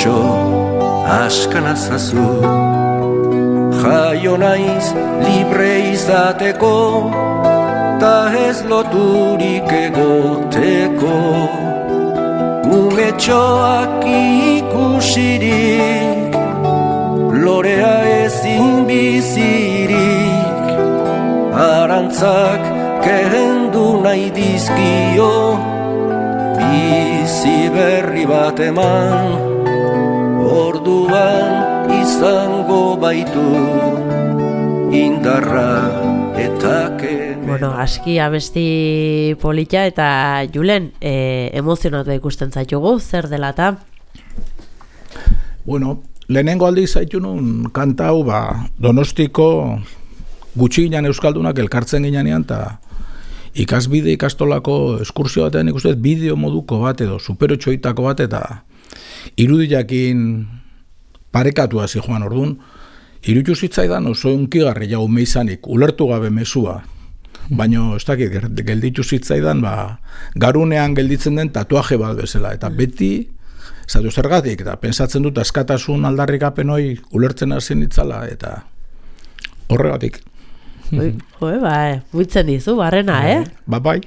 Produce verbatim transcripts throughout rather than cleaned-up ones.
umetxo askana zazu. Jaio naiz libre izateko, ta ez loturik egoteko. Umetxoak ikusirik, lorea ezin bizirik, arantzak kehendu nahi dizkio, bizi berri bat eman, orduan izango baitu indarra eta kemen. Bueno, aski abesti polita eta Julen, e, emozionatu ikusten zaitugu, zer dela eta? Bueno, lehenengo aldi zaitu nun kanta hau, ba, Donostiko gutxi ginen euskaldunak elkartzen ginean, eta ikasbide ikastolako eskursio batean ikusten bideo moduko bat edo superotxoitako bat eta irudiakin parekatu hasi joan orduan, iruditu zitzaidan oso unkigarri jau meizanik, ulertu gabe mesua, baina ez dakit gelditu zitzaidan, ba, garunean gelditzen den tatuaje bat bezala, eta beti zatu zergatik, eta pensatzen dut askatasun aldarrikapen hori ulertzen hasi nitzala, eta horregatik. Oi, joe, ba, buitzen dizu, barrena, eh? Ba, bai.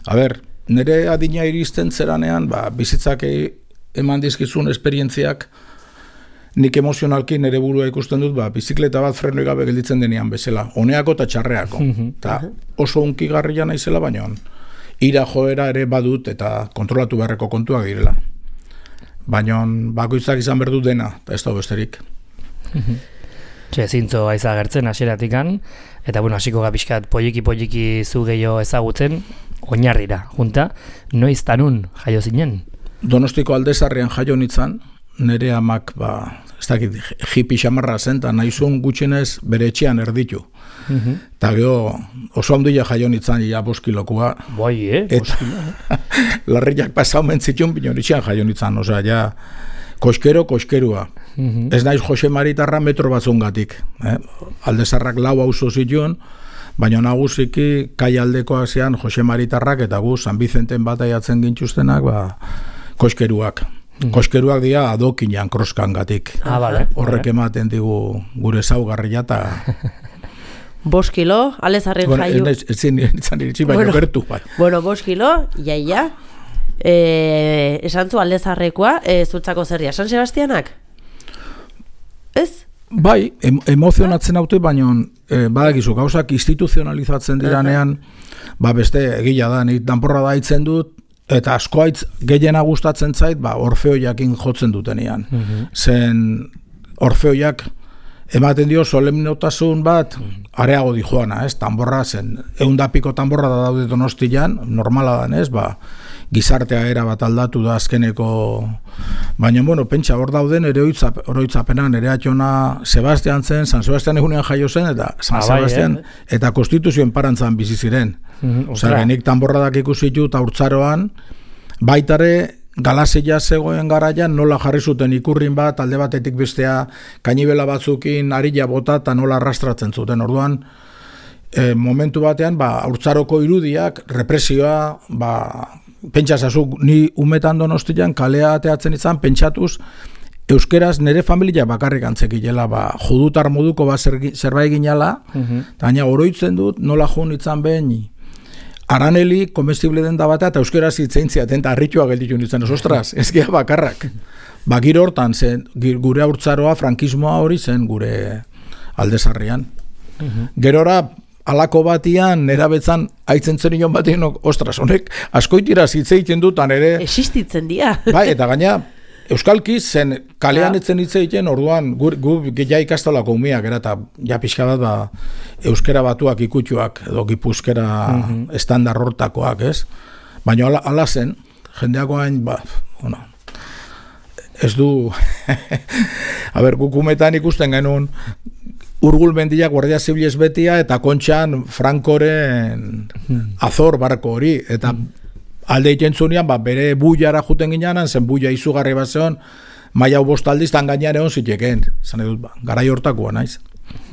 A ber, nire adina iristen zeranean, ba, bizitzak eman dizkizun esperientziak, nik emozionalki nire burua ikusten dut, ba, bizikleta bat frenoi gabe gelditzen denean bezala, honeako eta txarreako. Ta oso unkigarria naizela, baina ira joera ere badut eta kontrolatu beharreko kontuak direla. Baina bakoitzak izan behar dut dena, eta ez da besterik. Txe, zintzo aiza gertzen hasieratikan, eta bueno, hasiko gapiskat poliki-poliki zu gehiago ezagutzen, oinarrira, junta, noiz tanun jaio zinen? Donostiko Aldezarrian jaio nitzan, nire amak, ba, ez dakit, hippie xamarra zen, eta nahizun gutxinez bere etxean erditu. Eta gero oso handia jaio nitzan, ja boskilokua. Bai, eh? Boskilo. Larriak pasau mentzitun, bino etxean jaio nitzan, osea, ja, koskero, koskerua. Ez naiz Jose Maritarra metro batzungatik. Eh? Aldezarrak lau auzo zituen, baina nagusiki kai aldekoak zean Jose Maritarrak eta gu San Bizenten bat aiatzen gintuztenak, ba, koskeruak. Koskeruak dira adokinean kroskangatik. Ah, vale. Horrek ematen digu gure zaugarria eta... Bost kilo, Aldezarren bueno, jaio. Ez zin izan iritsi, baina bueno, gertu. Bai. Bueno, bost kilo, iaia. E, esan zu Aldezarrekoa, e, zutzako zerria, San Sebastianak? Ez? Bai, em, emozionatzen haute, baina e, badakizu, gauzak instituzionalizatzen diranean, ba beste egila da, nik danporra da itzen dut, eta asko haitz gehiena gustatzen zait, ba Orfeoiakin jotzen dutenean. Zen Orfeoiak ematen dio solemnotasun bat areago di joana, ez? Tanborra zen, eundapiko tanborra da daude Donostian, normala da, ez? Ba, gizartea era bat aldatu da azkeneko, baina, bueno, pentsa hor dauden ere oroitzapenan, ere atxona Sebastian zen, San Sebastian egunean jaio zen, eta San ah, Sebastian, bai, eh? Eta konstituzioen parantzan bizi ziren. Mm-hmm, Osea, genik tanborradak ikusi ditut haurtzaroan, baitare Galasia zegoen garaian nola jarri zuten ikurrin bat, alde batetik bestea kainibela batzukin arila bota eta nola arrastratzen zuten. Orduan, e, momentu batean, ba, haurtzaroko irudiak, represioa, ba, pentsasazu, ni umetan Donostian kalea ateatzen izan, pentsatuz, euskeraz nire familia bakarrik antzekilela, ba, judutar moduko ba zerbait ginala, eta gaina oroitzen dut, nola jun itzan behin, araneli, komestible den da batea, eta euskeraz itzein ziaten, eta harritua gelditu nintzen, ostras, ez gira bakarrak. Ba, giro hortan, zen, gure haurtzaroa, frankismoa hori zen gure Aldezarrian. Gerora, alako batian, nera betzan, haitzen zenion batean, ostras, honek, askoitira zitzeiten dutan ere... Existitzen dira. Bai, eta gaina, euskalki zen, kalean etzen hitzeiten, orduan, gu, gu ja ikastolako umiak, era, eta ja pixka bat, ba, euskera batuak ikutuak, edo gipuzkera mm-hmm. estandar hortakoak, ez? Baina ala, ala zen, jendeako hain, ba, bueno, ez du, a ber, gukumetan ikusten genuen, Urgul mendiak Guardia Zibilez betia, eta Kontxan Frankoren Azor barko hori, eta alde iten zunean, ba, bere buiara juten ginean, zen buia izugarri bat zeon, maia bostaldiztan gainean egon ziteken, zan edut, ba, garai hortakoa naiz.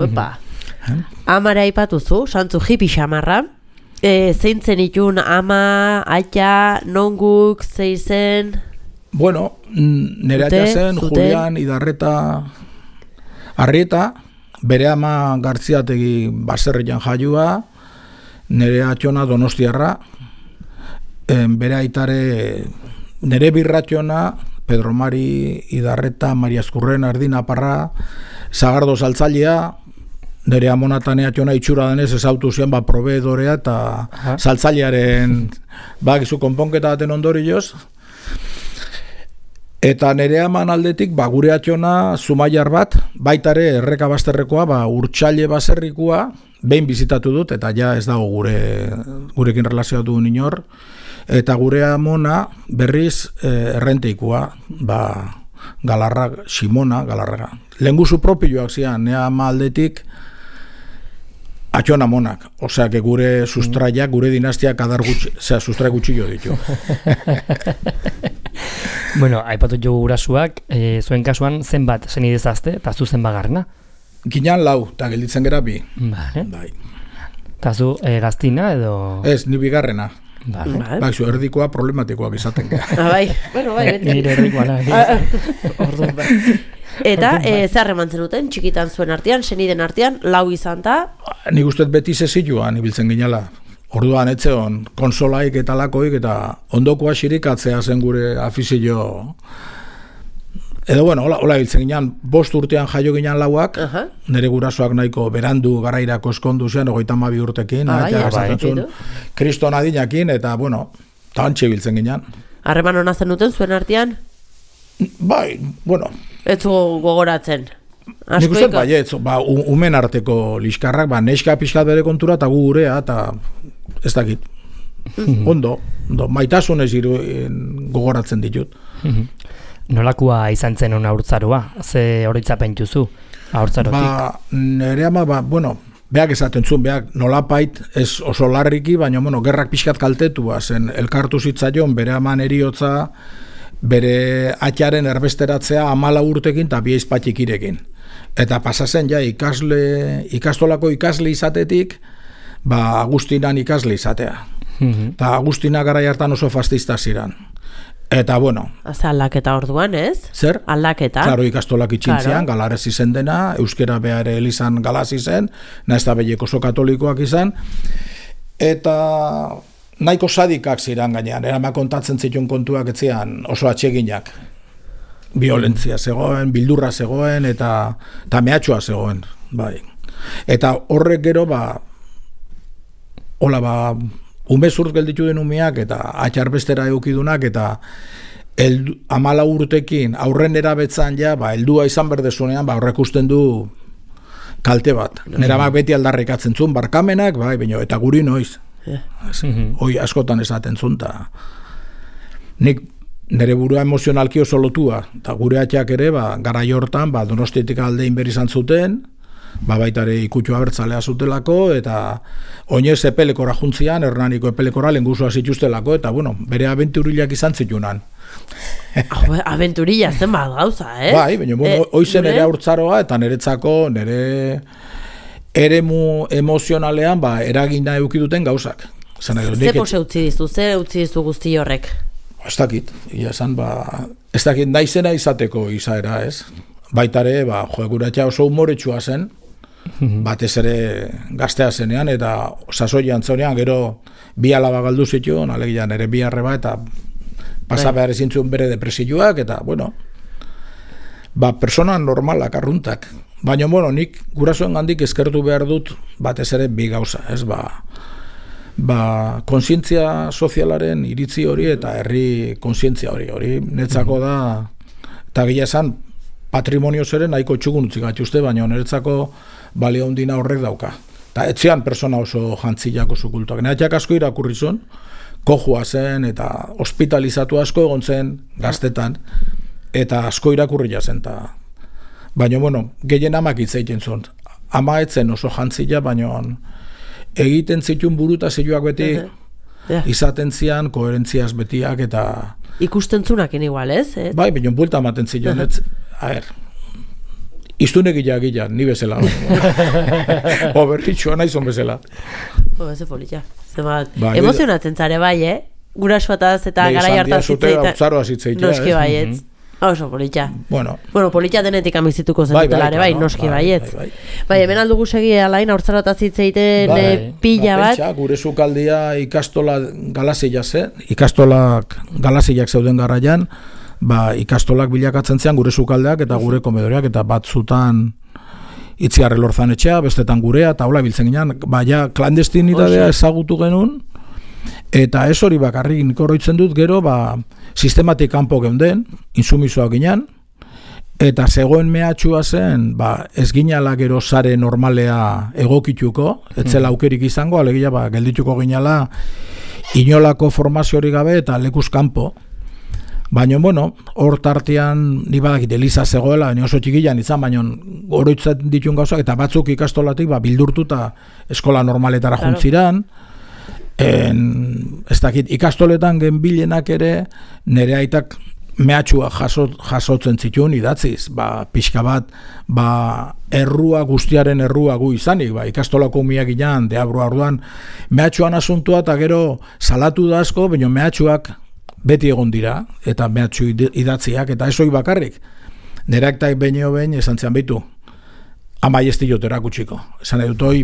Opa, amara ipatuzu, santzu hippie xamarra, e, zeintzen itun ama, aita, nonguk, zeizen... Bueno, nire atxa zen, Julian Idarreta Arrieta, bere ama Gartziategi baserrian jaiua, nire atxona Donostiarra, bere aitare, nire birratxona, Pedro Mari Idarreta, Maria Eskurren, Ardina Parra, Zagardo Saltzailea, nire amonatane atxona itxura denez ezautu zian, ba, proveedorea eta saltzailearen, ba, gizu konponketa baten ondorioz. Eta nire aman aldetik, ba, gure atxona Zumaiar bat, baitare erreka bazterrekoa, ba, Urtsaile baserrikoa, behin bizitatu dut, eta ja ez dago gure, gurekin relazioatu inor, eta gure amona berriz eh, errenteikoa, ba, Galarra, Simona, Galarra. Lenguzu propioak zian, nire ama aldetik, atxona monak, osea, que gure sustraiak, gure dinastiak adar gutxi, osea, sustrai gutxillo ditu. Bueno, aipatu jo gurasuak, e, zuen kasuan zenbat senidezazte, eta zu zenbat garrena? Ginean lau, eta gelditzen gera bi. Vale. Bai. Eta zu e, gaztina edo... Ez, ni bigarrena. Vale. Bai, zu erdikoa problematikoak izaten gara. Bai, bueno, bai, beti. Nire erdikoa nahi. Orduan, bai. Eta, e, zer remantzen duten, txikitan zuen artean, seniden artean, lau izan da? Nik uste beti zezioan ibiltzen ginela. Orduan etzeon, konsolaik eta lakoik eta ondokoa xirikatzea zen gure afizio. Edo bueno, hola, hola ibiltzen ginean, bost urtean jaio ginean lauak, uh-huh. Nire gurasoak nahiko berandu garairako eskondu zen, ogeita hamabi urtekin, ah, eta bai, gazatzen kriston adinakin, eta bueno, eta antxe ibiltzen ginean. Harreman hona zen duten zuen artean? Bai, bueno. Ez zu gogoratzen. Nik uste bai, ez, ba, umen arteko liskarrak, ba, neska pixkat bere kontura eta gu gurea, eta ez dakit. Ondo, ondo, maitasunez iru, gogoratzen ditut. Nolakua izan zen hona haurtzaroa? Ze horitzapen juzu haurtzarotik? Ba, nire ama, ba, bueno, beak esaten zuen, beak nolapait, ez oso larriki, baina, bueno, gerrak pixkat kaltetua zen, elkartu zitzaion, bere aman eriotza, bere atxaren erbesteratzea amala urtekin eta bi aizpatik irekin. Eta pasazen ja ikasle, ikastolako ikasle izatetik, ba Agustinan ikasle izatea. Eta Agustina garai hartan oso fastista ziran. Eta bueno. Aza aldaketa orduan, ez? Zer? Aldaketa. Klaro, ikastolak itxintzian, claro. Galarez izen dena, euskera behar elizan galaz izen, nahiz eta behiek oso katolikoak izan. Eta... nahiko sadikak ziren gainean, erama kontatzen zituen kontuak etzian oso atseginak. Violentzia zegoen, bildurra zegoen, eta, eta mehatxoa zegoen. Bai. Eta horrek gero, ba, hola, ba, umezurz gelditu den umeak, eta atxarbestera eukidunak, eta eldu, amala urtekin aurren erabetzan ja, ba, heldua izan berdezunean, ba, horrek usten du kalte bat. Neramak beti aldarrikatzen zuen, barkamenak, bai, baino, eta guri noiz. Yeah. Hoi askotan esaten zuen, eta nik nire burua emozionalki oso lotua, eta gure atxak ere, ba, garai hortan, ba, Donostiatik aldein berri izan zuten, ba, baitare ikutxu abertzalea zutelako, eta oinez epelekora juntzian, Hernaniko epelekora lenguzua zituztelako, eta bueno, bere abenturilak izan zitunan. Abenturilla zen bat gauza, eh? Bai, baina, bueno, e, oizen nire haurtzaroa, eta niretzako, nire... eremu emozionalean ba, eragina eukiduten gauzak. Ze pose utzi dizu, ze utzi dizu guzti horrek? Ez dakit, ia esan, ba, ez dakit naizena izateko izaera, ez? Baitare, ba, joekuratxa oso humoretsua zen, batez ere gaztea zenean, eta sasoian zonean, gero bi alaba galdu zituen, alegian ere bi arreba, eta pasa behar ezin zuen bere depresioak, eta, bueno, ba, persona normalak, arruntak. Baina, bueno, nik gurasoen gandik eskertu behar dut batez ere bi gauza, ez, ba, ba, konsientzia sozialaren iritzi hori eta herri konsientzia hori, hori netzako da, eta gila esan, patrimonio zeren nahiko txugun utzik atxuste, baina niretzako balio handina horrek dauka. Eta etzean persona oso jantzilak oso kultuak. Neatxak asko irakurri zuen, kojua zen eta hospitalizatu asko egon zen gaztetan, eta asko irakurri zen, eta baina, bueno, gehien amak hitz egiten zuen. Ama etzen oso jantzila, baina egiten zituen buruta zioak beti uh-huh. yeah. izaten zian, koherentziaz betiak, eta... Ikusten zunakin igual, ez? ez? Bai, baina bulta ematen zion, uh-huh. ez, a ver, iztunek gila, ni bezala. O berritxua naizon bezala. O, ez polita. Bai, emozionatzen zare bai, eh? gurasoataz eta garai hartaz hitzeita. Noski baietz. Oso polita. Bueno, bueno polita denetik amizituko zenutela ere, bai, noski baietz. Bai, bai, hemen aldugu segi alain haurtzarotaz hitzeiten pila bat. Pentsa, gure sukaldia ikastola galasilla zen, ikastolak galasiak zeuden garraian, ba, ikastolak bilakatzen zean gure sukaldeak eta gure komedoreak, eta batzutan Itziarre Lorzan etxea, bestetan gurea, eta hola biltzen ginen, baina klandestinitatea ezagutu genuen, eta ez hori bakarrik nik oroitzen dut gero, ba, sistematik kanpo geunden, insumisoak ginen, eta zegoen mehatxua zen, ba, ez ginala gero sare normalea egokituko, etzela aukerik izango, alegia ba, geldituko ginala inolako formaziorik gabe eta lekuz kanpo. Baina, bueno, hor tartean ni badakit Eliza zegoela, baina oso txikilan izan, baina oroitzen ditun gauzak, eta batzuk ikastolatik ba, bildurtu eta eskola normaletara claro. Juntziran. En, ez dakit, ikastoletan genbilenak ere nire aitak mehatxua jaso, jasotzen zituen idatziz, ba, pixka bat, ba, errua, guztiaren errua gu izanik, ba, ikastolako umiak inan, deabroa orduan, mehatxuan asuntua eta gero salatu da asko, baina mehatxuak beti egon dira, eta mehatxu idatziak, eta esoi bakarrik. Nerak eta behineo behin esan zean behitu, ama jestilot erakutxiko. Esan edut hoi,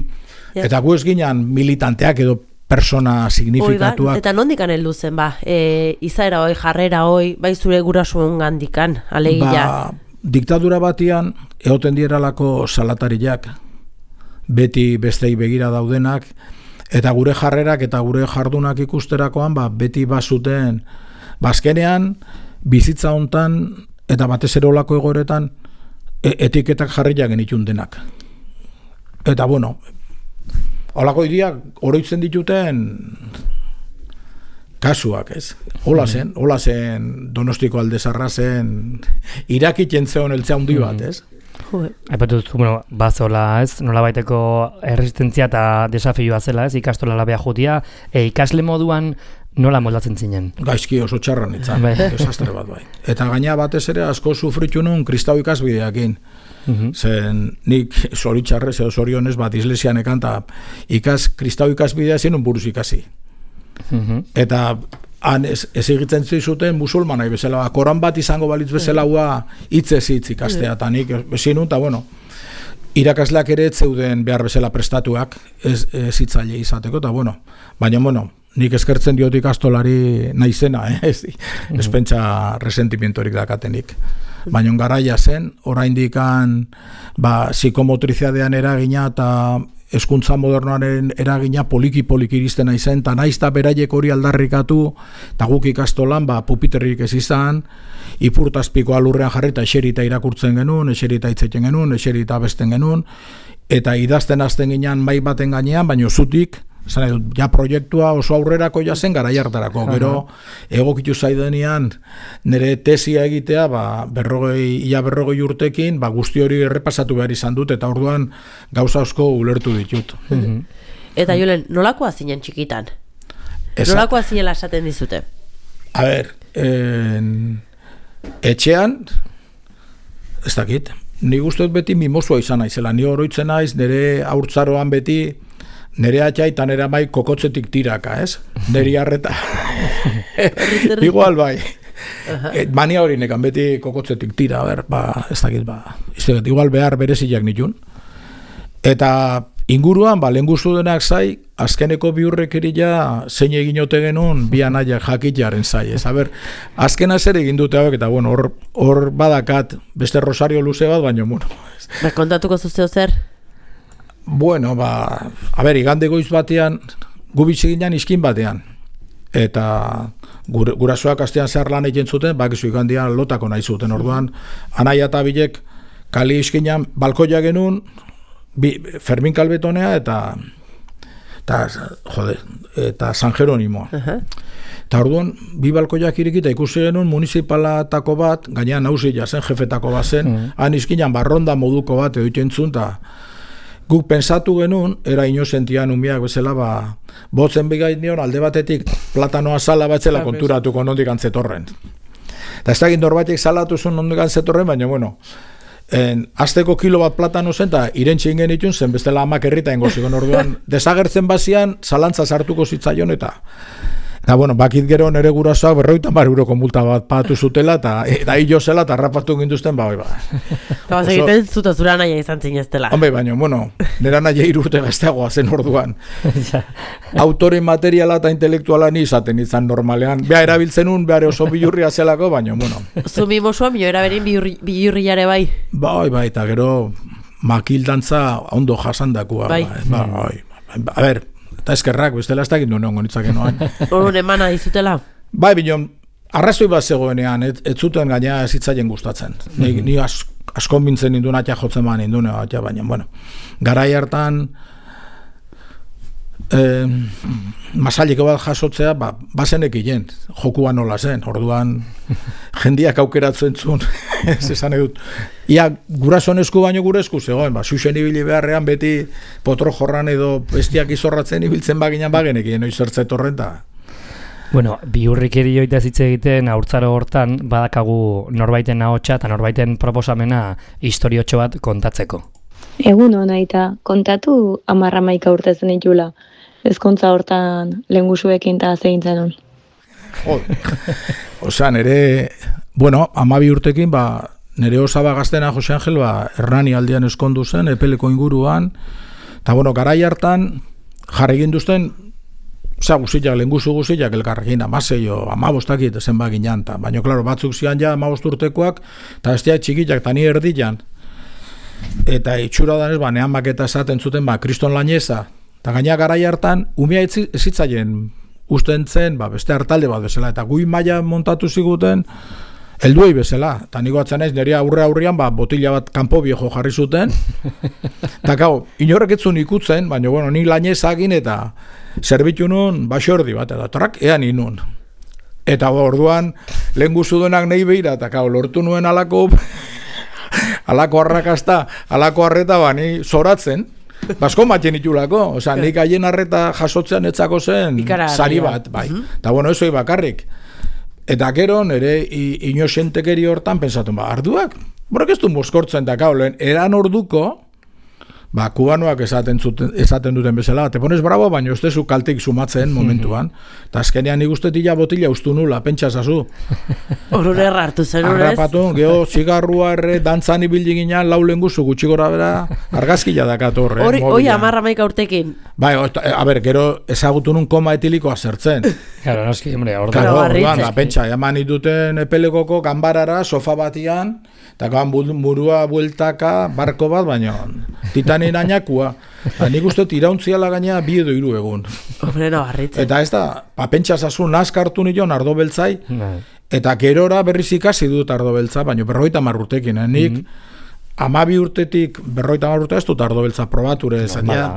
eta gu ez ginen militanteak edo persona signifikatuak. Oiga, eta nondikan heldu zen, ba, e, izaera hoi, jarrera hoi, bai zure gurasuen gandikan, alegia. Ba, diktadura batian, egoten dieralako salatariak, beti bestei begira daudenak, eta gure jarrerak eta gure jardunak ikusterakoan, ba, beti bazuten, bazkenean, bizitza hontan, eta batez ere olako egoeretan, e etiketak jarriak genitun denak. Eta, bueno, olako idiak oroitzen dituten kasuak, ez? Hola zen, hola zen Donostiko Aldezarra zen irakitzen zeon eltzea handi bat, ez? Aipatu duzu, bueno, bazola, ez? Nola baiteko erresistentzia eta desafioa zela, ez? Ikastola labea jutia, e, ikasle moduan nola moldatzen zinen? Gaizki oso txarran itzan, desastre bat bai. Eta gaina batez ere asko sufritu nun kristau ikasbideakin. Uh-huh. Zen nik zoritxarrez edo zorionez bat islesian ekan eta ikas, kristau ikasbidea zen un buruz ikasi. Uh-huh. Eta han ez, ez egitzen zuten musulmanai bezala, koran bat izango balitz bezala hua hitzez hitz ikastea, eta nik ezin nun, eta bueno, irakasleak ere zeuden behar bezala prestatuak ez, ez hitzaile izateko, eta bueno, baina bueno, nik eskertzen diot ikastolari naizena, eh? ez, ez pentsa resentimientorik dakatenik. Baina garaia zen, oraindikan ba, psikomotriziadean eragina eta hezkuntza modernoaren eragina poliki-poliki iristen naizen, eta naiz eta beraiek hori aldarrikatu, eta guk ikastolan ba, pupiterrik ez izan, ipurtazpikoa lurrean jarri eta eserita irakurtzen genuen, eserita hitzeten genuen, eserita besten genuen, eta idazten hasten ginean mai baten gainean, baina zutik, esan edut, ja proiektua oso aurrerako jazen gara jartarako, gero egokitu zaidenean nire tesia egitea, ba, berrogei, ia berrogei urtekin, ba, guzti hori errepasatu behar izan dut, eta orduan gauza asko ulertu ditut. Mm-hmm. Eta Julen, nolakoa zinen txikitan? Esa, nolakoa zinela esaten dizute? A ber, en, etxean, ez dakit, ni guztiot beti mimosua izan naizela, ni oroitzen naiz, nire haurtzaroan beti, nere atxai eta nere amai kokotzetik tiraka, ez? Neri arreta. Igual bai. Et, mania hori nekan beti kokotzetik tira, ber, ba, ez dakit, ba, izteget, igual behar bereziak nitun. Eta inguruan, ba, lehen guztu denak zai, azkeneko biurrekerila zein egin ote genuen bi anaiak jakitaren zai, ez? Aber, azkena zer egin dute hauek, eta bueno, hor, hor badakat beste rosario luze bat, baina, bueno. Ba, kontatuko zuzeo zer? Bueno, ba, a ber, igande goiz batean, gubitxe ginen iskin batean. Eta gure, gurasoak astean zehar lan egin zuten, bakizu igandean lotako nahi zuten. Orduan, anaia eta bilek kali iskinan balkoia genuen, bi, Fermin Kalbetonea eta, eta, jode, eta San Jeronimoa. Uh-huh. Eta orduan, bi balkoiak irikita ikusi genuen municipalatako bat, gainean nausila zen, jefetako bat zen, uh-huh. Han iskinan barronda moduko bat edo itentzun, eta guk pensatu genuen, era inosentian umiak bezala, ba, botzen bigain nion, alde batetik platanoa sala batzela konturatuko nondik antzetorren. Eta ez da gindor batek salatu zuen nondik antzetorren, baina, bueno, en, azteko kilo bat platano zen, eta irentxin genitun zen, bestela amak errita ingo zigon orduan, desagertzen bazian, zalantza sartuko zitzaion, eta Eta, bueno, bakit gero nere gurasoak berroita mar euroko multa bat pagatu zutela, eta eta jo zela, eta harrapatu ginduzten, ba, bai, ba. Eta bat egiten zuta zura naia izan zineztela. Hombre, baina, bueno, nera naia irurte gazteagoa zen orduan. Autore materiala eta intelektuala ni izaten izan normalean. Bea erabiltzen un, behar oso bilurria zelako, baina, bueno. Zumi mosua, mio eraberin bilurriare bai. Bai, bai, eta gero makildantza ondo jasandakua. Bai. Ba, bai. A ber, eta eskerrak, bestela ez dakit nuen ongo nitzake noan. Horun emana dizutela? Bai, bineon, arrazoi bat zegoenean, ez, ez zuten gaina ez hitzaien gustatzen. Ni, ni as, askon bintzen ninduen atia jotzen ba ninduen, atia, baina, bueno, garai hartan eh, masaliko bat jasotzea, ba, bazenek hien, jokua nola zen, orduan jendiak aukeratzen zuen, ez esan edut. Ia, gurason esku baino gure esku zegoen, ba, xuxen ibili beharrean beti potro jorran edo bestiak izorratzen ibiltzen baginan bagenekien, noiz zertzet horrenta. Bueno, bihurrikeri joita zitze egiten haurtzaro hortan badakagu norbaiten ahotsa eta norbaiten proposamena historiotxo bat kontatzeko. Egun hona eta kontatu amarra maika urte zen itula. Ezkontza hortan lehengusuekin eta zehintzen hon. Jo, osea, nere, bueno, amabi urtekin, ba, nere osaba gaztena Jose Angel, ba, Hernani aldean eskondu zen, epeleko inguruan, eta, bueno, garai hartan, jarri ginduzten, osea, guztiak, lehengusu guztiak, elkarrekin, amaseio, amabostakit, zen baginan, ta, baina, klaro, batzuk zian ja amabost urtekoak, eta bestia txikiak, eta ni erdian, eta itxura danez, ba, nean maketa esaten zuten, ba, kriston laineza, eta gaina garai hartan, umea ezitzaien usten zen, ba, beste hartalde bat bezala, eta gui maila montatu ziguten, helduei bezala, eta niko atzen ez, nire aurre aurrian, ba, botila bat kanpo viejo jarri zuten, eta gau, inorrek etzun ikutzen, baina, bueno, ni lainezagin eta zerbitu nun, basordi bat, eta trak, ean inun. Eta orduan, lehen guzudenak nahi behira, eta gau, lortu nuen alako, alako arrakasta, alako arreta, ba, ni zoratzen, basko maten itulako, oza, nik haien arreta jasotzean etzako zen, sari bat, bai. Eta, bueno, eso bakarrik. Eta gero, nire inosentekeri hortan, pensatu, ba, arduak, borrek ez du moskortzen, eta gau, lehen, eran orduko, ba, kubanoak esaten, zuten, esaten duten bezala, te pones bravo, baina ez dezu kaltik sumatzen momentuan, eta azkenean nik uste tila botila ustu nula, pentsa zazu. Horure hartu zen urez? Arrapatu, geho, zigarrua erre, dantzan ibildi ginen, lau lenguzu gutxi gora bera, argazkila dakatorre. Hori, hoi amarra maika urtekin. Bai, a ber, gero ezagutu nun koma etilikoa zertzen. Claro, noski, hombre, orduan. Claro, orduan, da, pentsa, eman dituten epelekoko ganbarara, sofa batian, eta gaban burua bueltaka, barko bat, baina titanin añakua. Eta nik uste tirauntziala gaina bi edo hiru egun. Hombre, no, barritzen. Eta ez da, pa pentsa zazu nazkartu nion ardo beltzai, eta gerora berriz ikasi dut ardo beltza, baina berroita marrutekin, eh? Nik amabi urtetik berroita marrute ez dut ardo beltza probature, zenia,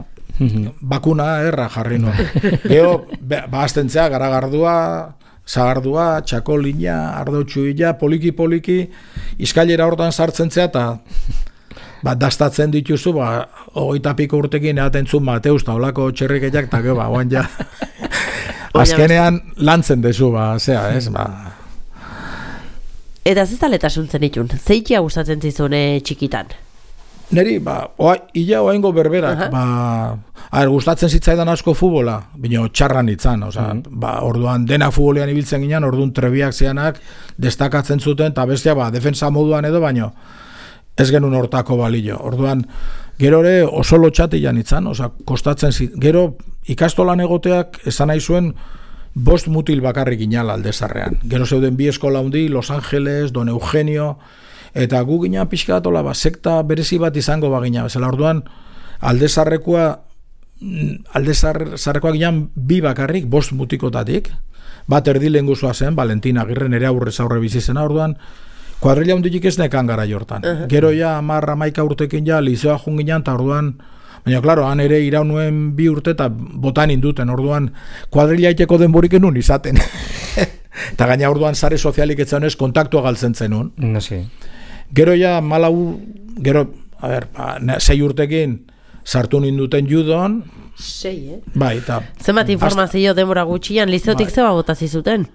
bakuna erra jarri nuen. Geo, bahaztentzea, garagardua, zagardua, txakolina, ardotxuila, poliki-poliki, izkailera hortan sartzen zea, eta ba, dastatzen dituzu, ba, hogeita piko urtekin eaten zun Mateus, eta olako txerrikeiak, eta gero, ba, oan ja, azkenean lantzen dezu, ba, zea, ez, ba. Eta zezaletasuntzen itun, zeikia gustatzen zizune txikitan? Neri, ba, oa, illa oaingo berberak, ba, a ver, gustatzen zitzaidan asko futbola, bino txarran itzan, oza, ba, orduan dena futbolean ibiltzen ginen, orduan trebiak zianak destakatzen zuten, eta bestia, ba, defensa moduan edo, baino, ez genuen hortako balillo. Orduan, gero ere oso lotxatian itzan, oza, kostatzen zit, gero ikastolan egoteak esan nahi zuen bost mutil bakarrik inala Aldezarrean. Gero zeuden bi eskola hundi, Los Angeles, Don Eugenio, eta gu gina pixka bat, ba, sekta berezi bat izango bagina. Bezala, orduan, Aldezarrekoa, Aldezarrekoa ginen bi bakarrik, bost mutikotatik, bat erdi lehenguzua zen, Valentina Agirre, nere aurrez aurre bizizena, orduan, kuadrilla hunditik ez nekan gara jortan. Uh -huh. Gero ja, amarra maika urtekin ja, lizoa junginan, eta orduan, baina, klaro, han ere irau nuen bi urte, eta botan induten, orduan, kuadrilla iteko denborik enun izaten. Eta gaina orduan sare sozialik etzanez kontaktua galtzen zenun. No, sí. Gero ja, malau, gero, a ber, ba, sei urtekin sartu ninduten judon. Sei, eh? Bai, eta... Zenbat informazio denbora gutxian, lizeotik bai. Zeba bota zizuten?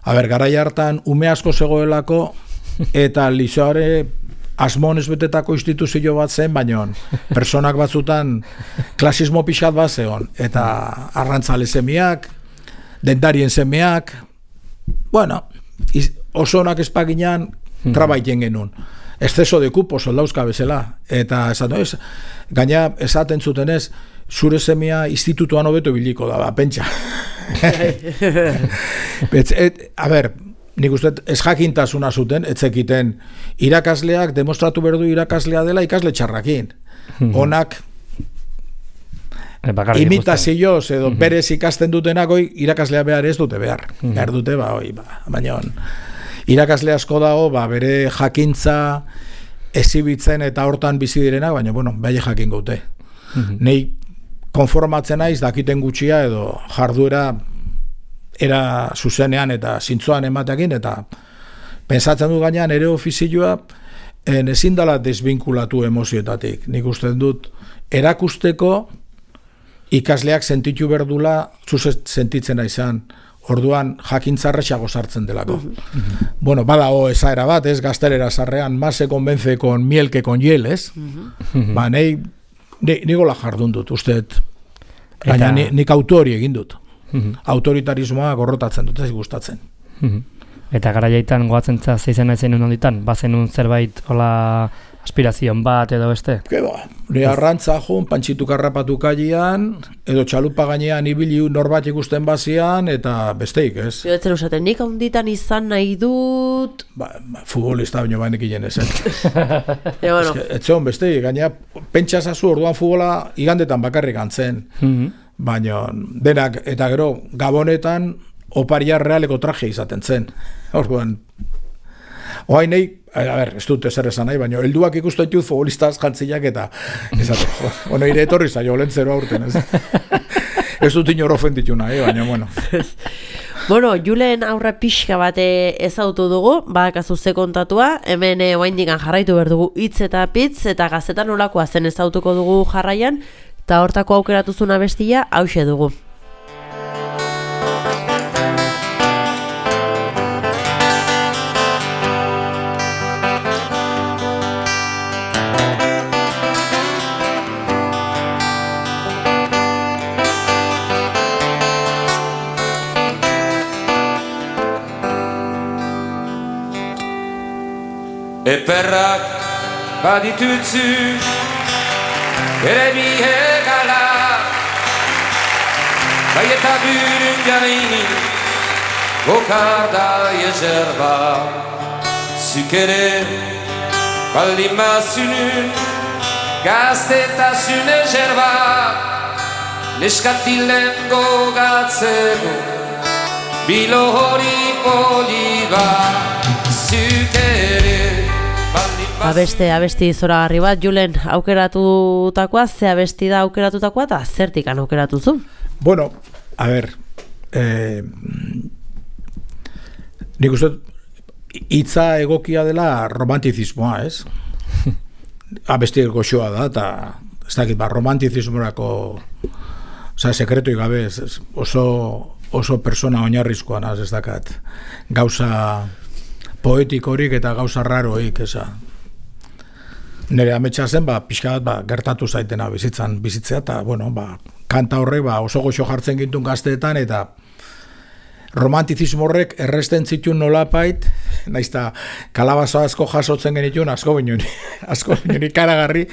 A ber, garai hartan, ume asko zegoelako, eta lizoare asmonez betetako instituzio bat zen, baina personak batzutan klasismo pixat bat zegon, eta arrantzalezemiak, dendarien semeak, bueno, iz, oso onak espaginan trabaiten genuen. Exceso de cupo soldauzka bezala. Eta esaten, ez, gaina esaten zutenez, zure semea institutuan hobeto biliko da, ba, pentsa. et, et, a ber, nik uste ez jakintasuna zuten, etzekiten irakasleak demostratu berdu irakaslea dela ikasle txarrakin. Onak imitazioz edo uh-huh. berez ikasten dutenak oi, irakaslea behar ez dute behar. Uh-huh. Behar dute, ba, oi, ba, baina on, irakasle asko dago, ba, bere jakintza ezibitzen eta hortan bizi direnak, baina, bueno, bai jakin gaute. Uh-huh. Nei konformatzen naiz dakiten gutxia edo jarduera era zuzenean eta zintzoan ematekin, eta pensatzen du gainean ere ofizioa en, ezin dela desbinkulatu emozioetatik. Nik uste dut erakusteko ikasleak sentitu berdula zuzet sentitzen izan, orduan jakintzarrexago sartzen delako. Uh-huh. Bueno, badao esaera bat, ez, gaztelera sarrean, más se convence con miel que con hiel, ez? Uh-huh. Ba, nahi, nigola jardun dut, uste, baina eta... nik autori egin dut. Uh-huh. Autoritarismoa gorrotatzen dut, ez gustatzen. Uh-huh. Eta garaiaitan goatzen zeizen naizen honditan, bazenun zerbait hola aspirazion bat edo beste? Keba, ne arrantza joan, pantxitu karrapatu kailean, edo txalupa gainean ibili norbat ikusten bazian, eta besteik, ez? Bioetzen usaten, nik honditan izan nahi dut... Ba, ba futbolista baino bainek inen ezen. bueno. Etzeon besteik, gainea, pentsasazu orduan futbola igandetan bakarrik antzen. Mm-hmm. Baina denak, eta gero, gabonetan, oparia realeko traje izaten zen. Orduan, oain nahi, a ber, ez dut ezer esan nahi, baina helduak ikustu ditut futbolistaz jantziak eta esate, bueno, ire etorri zaio, lentzero aurten, ez? Ez dut inor ofenditu nahi, baina, bueno. Bueno, Julen aurra pixka bate ezautu dugu, badakazu ze kontatua, hemen eh, oaindikan jarraitu behar dugu hitz eta pitz, eta gazetan nolakoa zen ezautuko dugu jarraian, eta hortako aukeratuzuna bestia, hauxe dugu. Eperrak baditutzu ere bihegala, bai eta bürün jaini gokarda jezerba, zuk ere baldin bazunun gaztetasun ezerba, neskatilen gogatzeko bilo hori poliba, zuk ere Abeste, abesti zoragarri bat, Julen, aukeratutakoa, ze abesti da aukeratutakoa, eta zertikan aukeratuzu? Bueno, a ber, eh, nik uste, hitza egokia dela romantizismoa, ez? Abesti goxoa da, eta ez dakit, ba, romantizismorako, oza, sekretu gabe, ez, oso, oso persona oinarrizkoan, ez dakat, gauza poetikorik eta gauza raroik, eza. Nire ametsa zen, ba, pixka bat, ba, gertatu zaitena bizitzan bizitzea, eta, bueno, ba, kanta horrek, ba, oso goxo jartzen gintun gazteetan, eta romantizismo horrek erresten zituen nolapait, naizta kalabazo asko jasotzen genituen, asko binun, asko binun ikaragarri,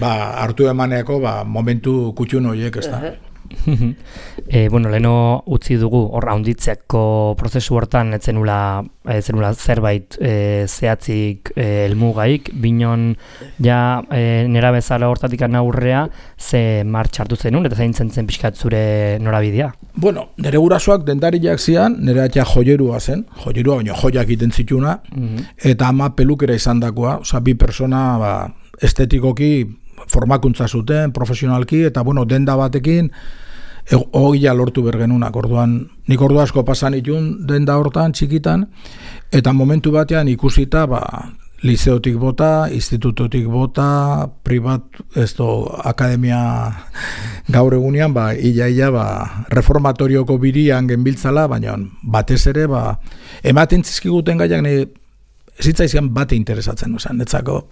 ba, hartu emaneako, ba, momentu kutxun horiek, ez da. e, bueno, leno utzi dugu hor haunditzeko prozesu hortan etzenula, etzenula zerbait e, zehatzik e, elmugaik, binon ja e, nera bezala hortatik aurrea ze martxartu zenun eta zein zen pixkat zure norabidea? Bueno, nire gurasoak dendariak zian, nire atia joierua zen, joierua baina joiak iten zituna, mm-hmm. eta ama pelukera izan dakoa, oza, bi persona ba, estetikoki formakuntza zuten, profesionalki, eta bueno, denda batekin hogia lortu bergenunak, orduan, nik ordu asko pasan itun denda hortan, txikitan, eta momentu batean ikusita, ba, liceotik bota, institutotik bota, privat, ez do, akademia gaur egunean, ba, ia-ia, ba, reformatorioko birian genbiltzala, baina batez ere, ba, ematen zizkiguten gaiak, ez zitzaizan bate interesatzen, oza, netzako,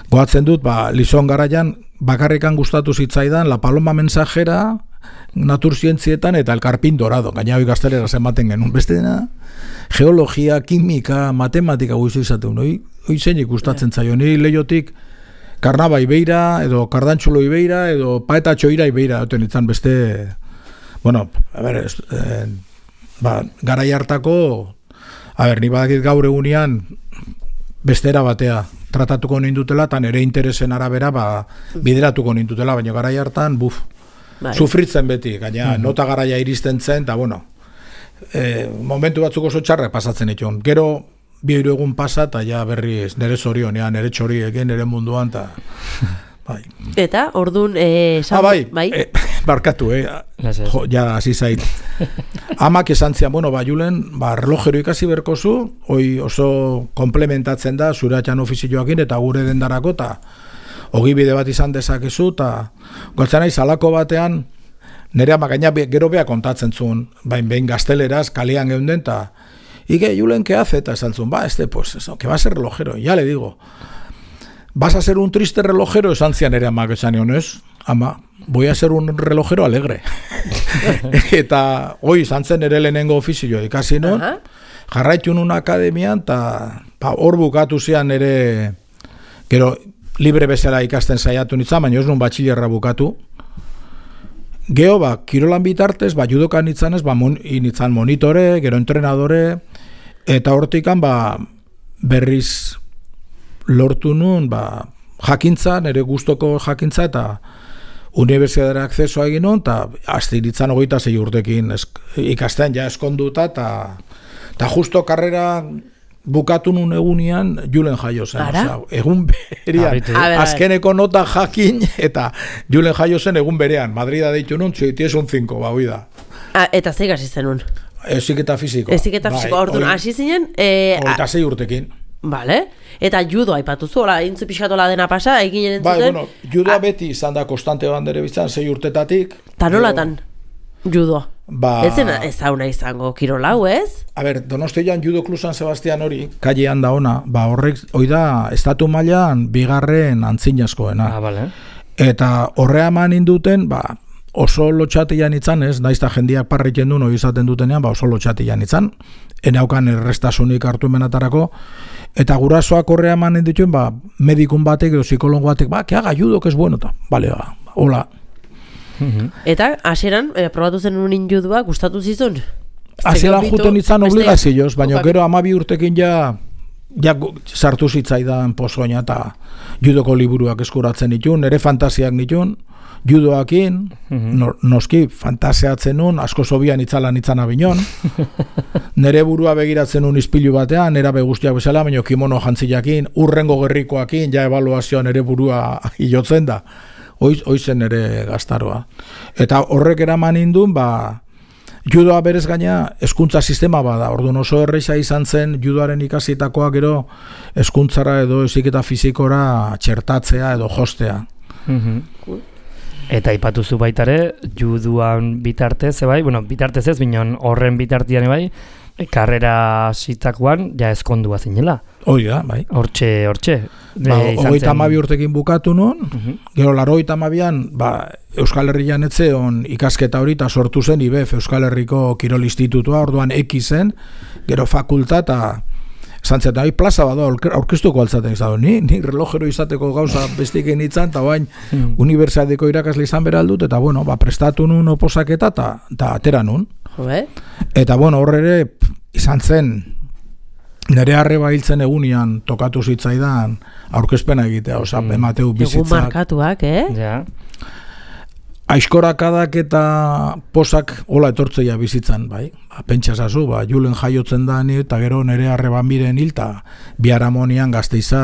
goatzen dut, ba, Lizon garaian, bakarrikan gustatu zitzaidan, La Paloma Mensajera, naturzientzietan eta el karpin dorado, gaina hoi gaztelera zenbaten genuen. Beste dena, geologia, kimika, matematika guizu izaten, hoi, hoi zein ikustatzen zaio, niri leiotik Karnaba ibeira, edo Kardantxulo ibeira, edo Paetatxo ira ibeira, duten itzan beste, bueno, a ber, eh, ba, garai hartako, a ber, ni badakit gaur egunean bestera batea tratatuko nindutela, eta nire interesen arabera ba, bideratuko nindutela, baina garai hartan, buf, bai. Sufritzen beti, gaina mm-hmm. nota garaia iristen zen, eta bueno, eh, momentu batzuk oso txarra pasatzen itun. Gero, bi hiru egun pasa, eta ja berri nire zorionean, nire txoriekin, nire munduan, eta... Bai. Eta, orduan, eh, ah, bai, bai? Eh, barkatu, eh? Jo, ja, hasi zait. Amak esan zian, bueno, ba, Julen, ba, relojero ikasi berkozu, hoi oso komplementatzen da, zure atxan ofizioakin, eta gure dendarako, eta ogibide bat izan dezakezu, eta goltzen nahi, salako batean, nire amak gaina gero beha kontatzen zuen, bain behin gazteleraz, kalean geunden, eta Ike, Julen, ¿qué hace? Eta esan zuen, ba, este, pues, eso, que va a ser relojero, ya le digo. ¿Vas a ser un triste relojero? Esan zian ere amak esan nion, ez? Ama, voy a ser un relojero alegre. Eta, hoi, izan zen ere lehenengo ofizio ikasi non, uh-huh. jarraitu nun akademian, eta hor bukatu zian ere, gero, libre bezala ikasten saiatu nintzen, baina ez nun batxilerra bukatu. Geo, ba, kirolan bitartez, ba, judokan nitzanez, ba, mon, nitzan monitore, gero entrenadore, eta hortikan, ba, berriz lortu nun, ba, jakintza, nire gustoko jakintza, eta unibertsitatera akzesoa egin nun, eta azte nitzan hogeita zei urtekin esk, ikasten ja eskonduta, eta, eta justo karrera bukatu nun egunean Julen jaio zen. Oza, egun berean, azkeneko nota jakin, eta Julen jaio zen egun berean. Madrida deitu nun, txoities un cinco, ba, hoi da. Ah, eta zei gasi zen nun? Eziketa fiziko. Eziketa fiziko, bai, orduan, hasi zinen... Eh, Oita zei urtekin. Vale. Eta judo aipatuzu, hola, intzu pixkatola dena pasa, eginen entzuten... Bai, bueno, judoa beti izan da konstante bandere bizan, zei urtetatik. Ta nolatan, judo? Ba... Ez zen ezauna izango kirolau, ez? A ber, Donostian Judo Club San Sebastian hori, kallean da ona, ba horrek, hoi da, estatu mailan bigarren antzinazkoena. Ah, vale. Eta horrea eman induten, ba, oso lotxatian itzan ez, naizta jendiak parriken duen hori izaten dutenean, ba oso lotxatian itzan, enaukan errestasunik hartu emenatarako, eta gurasoak horrea eman indituen, ba, medikun batek edo psikologo batek, ba, que haga judo, que es bueno, eta, bale, ba, hola. Eta, hasieran eh, probatu zen unin judua, gustatu zizun? Hasieran juten itzan obligazioz, baina gero amabi urtekin ja, ja sartu zitzaidan pozoina eta judoko liburuak eskuratzen ditun, ere fantasiak ditun, judoakin, no, noski fantasiatzen nun, asko sobian itzalan itzan abinon, nere burua begiratzen nun izpilu batean, nera beguztiak bezala, baina kimono jantzilakin, urrengo gerrikoakin, ja ebaluazioan nere burua hilotzen da. Hoiz, hoizen ere gaztaroa. Eta horrek eraman indun, ba, judoa berez gaina hezkuntza sistema bada. Orduan oso erresa izan zen judoaren ikasitakoa gero hezkuntzara edo heziketa fizikora txertatzea edo jostea. Mm-hmm. Eta aipatuzu baitare, juduan bitartez, bai, bueno, bitartez ez, binon horren bitartian bai, karrera zitakoan, ja ezkondua zinela. Hoi da, bai. Hortxe, hortxe. Ba, hogeita hamabi urtekin bukatu nun, uh-huh. Gero laurogeita hamabian, ba, Euskal Herrian etzeon ikasketa hori, eta sortu zen I B F, Euskal Herriko Kirol Institutua, orduan eki zen, gero fakulta, eta zantzetan, hori plaza bada, aurkeztuko altzaten izan, ni, ni relojero izateko gauza bestik enitzan, eta bain, hmm. unibertsitateko irakasle izan beraldut, eta bueno, ba, prestatu nun oposaketa, eta atera nun. Joe? Eta bueno, horre ere, izan zen, nire arreba hiltzen egunian tokatu zitzaidan aurkezpena egitea, oza, mm. emateu bizitzak. Egun markatuak, eh? Ja. Aizkorakadak eta posak hola etortzeia bizitzan, bai. Ba, pentsasazu, ba, Julen jaiotzen da ni, eta gero nire arreban biren hil, eta biharamonian Gasteiza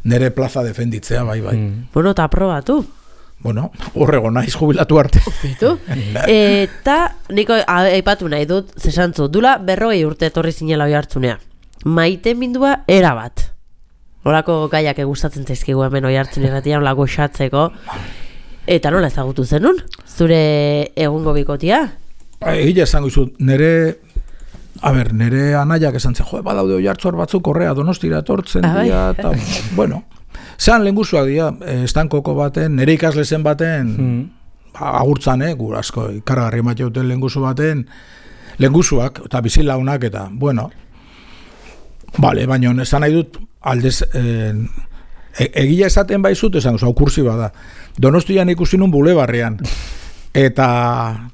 nire plaza defenditzea, bai, bai. Mm. Bueno, eta aprobatu. Bueno, horrego naiz jubilatu arte. Bitu. Eta, niko aipatu nahi dut, zesantzu, dula berrogei urte etorri zinela hoi hartzunea. Maite mindua erabat. Horako gaiak egustatzen zaizkigu hemen hoi hartzun irratian, olako xatzeko. Eta nola ezagutu zenun? Zure egungo bikotia? Egia esango izut, nere, a ber, nere anaiak esan zen, jo, badaude hoi hartzuar batzuk horrea Donostira etortzen dira, eta, bueno, zean lehenguzuak dira, estankoko baten, nere ikasle zen baten, hmm. agurtzan, eh, gur asko, ikaragarri emateuten lenguzu baten, lenguzuak, eta bizilaunak, eta, bueno, bale, baina esan nahi dut, aldez, eh, e, egia esaten baizut, esan, oza, kursi bada, Donostian ikusi nun bulebarrean, eta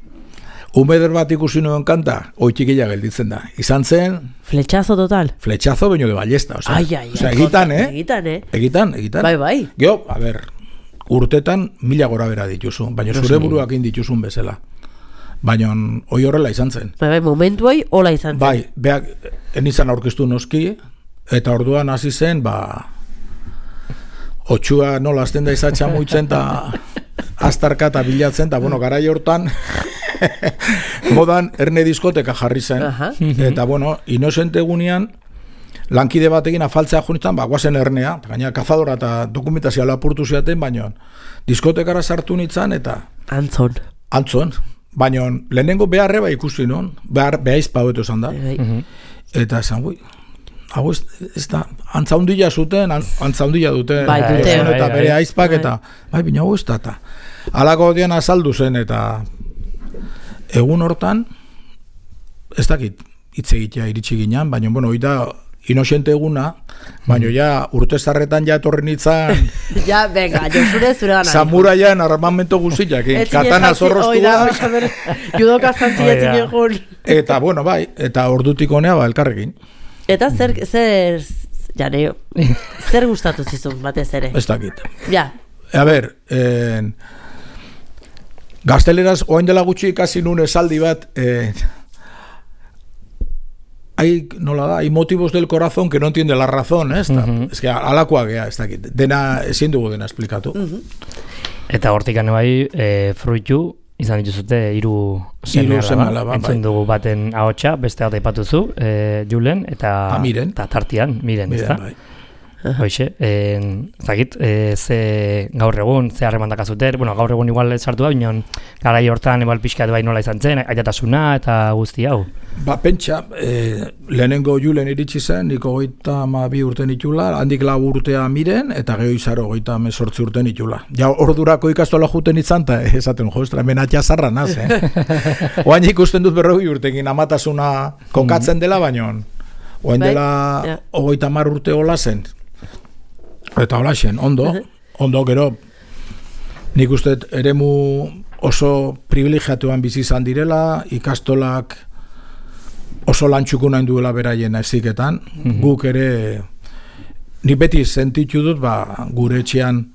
umeder bat ikusi nuen kanta, oitxikila gelditzen da, izan zen, Fletxazo total. Fletxazo baino de ballesta, o sea, Ai, ai, o sea, ai, egitan, eh? Egitan, eh? Egitan, egitan. Bai, bai. Geo, a ber, urtetan mila gora bera dituzu, baina zure buruak dituzun bezala. Baina hoi horrela izan zen. Bai, bai, momentu hoi hola izan zen. Bai, beak, enizan aurkeztu noski, eta orduan hasi zen, ba, otxua nola azten da izatxa muitzen, eta astarka eta bilatzen, eta bueno, garai hortan, modan erne diskoteka jarri zen. Aha. Eta bueno, inosente egunean, lankide batekin afaltzea junitzen, ba, guazen ernea, gaina kazadora eta dokumentazioa lapurtu ziaten, baina diskotekara sartu nintzen, eta Antzon. antzon, baina lehenengo beharre ba ikusi non, behar, behaizpa hoetu esan da, Bai, bai. eta esan, ui, hau ez, ez da, antzaundila zuten, an- antzaundila dute, Bai, dute. Gizon eta Bai, bai. bere aizpak, Bai. eta, bai, bina hau ez da, eta alako dian azaldu zen, eta egun hortan, ez dakit, hitz egitea iritsi ginen, baina, bueno, oita, inosente eguna, baina ja, urte zarretan ja etorri nintzen, Ja, venga, Josure zure gana. samuraian armamento guztiak, katana zorroztua, Judoka zantzi Hoi da. etzin egun. eta, bueno, bai, eta ordutik honea, ba, elkarrekin, Eta zer, zer, janeo, zer gustatu zizun batez ere? ez dakit. Ja, A ber, en, gazteleraz, oain dela gutxi ikasi nun esaldi bat, eh, hay, nola da, hay motivos del corazón que no entiende la razón, eh? Mhm. Ez que alakoa gea, ez dakit, dena, ezin dugu dena esplikatu. Eta hortik ane bai, e, fruitu, izan dituzute hiru Hiru seme-alaba, entzun bai. dugu baten ahotsa, beste bat aipatuzu, e, Julen, eta, Ta Miren. eta tartian, Miren, Miren, ezta? bai. Hoxe, en, zakit, e, ze gaur egun, ze harreman dakazute, bueno, gaur egun igual ez sartu da, bineon, garai hortan igual pixkat bai nola izan zen, aitatasuna eta guzti hau. Ba, pentsa, eh, lehenengo Julen iritsi zen, niko goita ma bi urten itula, handik lau urtea Miren, eta geho izaro goita mesortzi urten itula. Ja, ordurako ikastola juten itzan, eta esaten, jo, estra, menatxa zarra naz, eh? Oain ikusten dut berrogei urtekin amatasuna kokatzen dela, baino, oain Bai, dela ja. hogeita mar urte hola zen. Eta hola zen, ondo, ondo, gero, nik uste eremu oso privilegiatuan bizi izan direla, ikastolak oso lantxuko nahi duela beraien eziketan, guk ere, nik beti sentitu dut, ba, gure etxean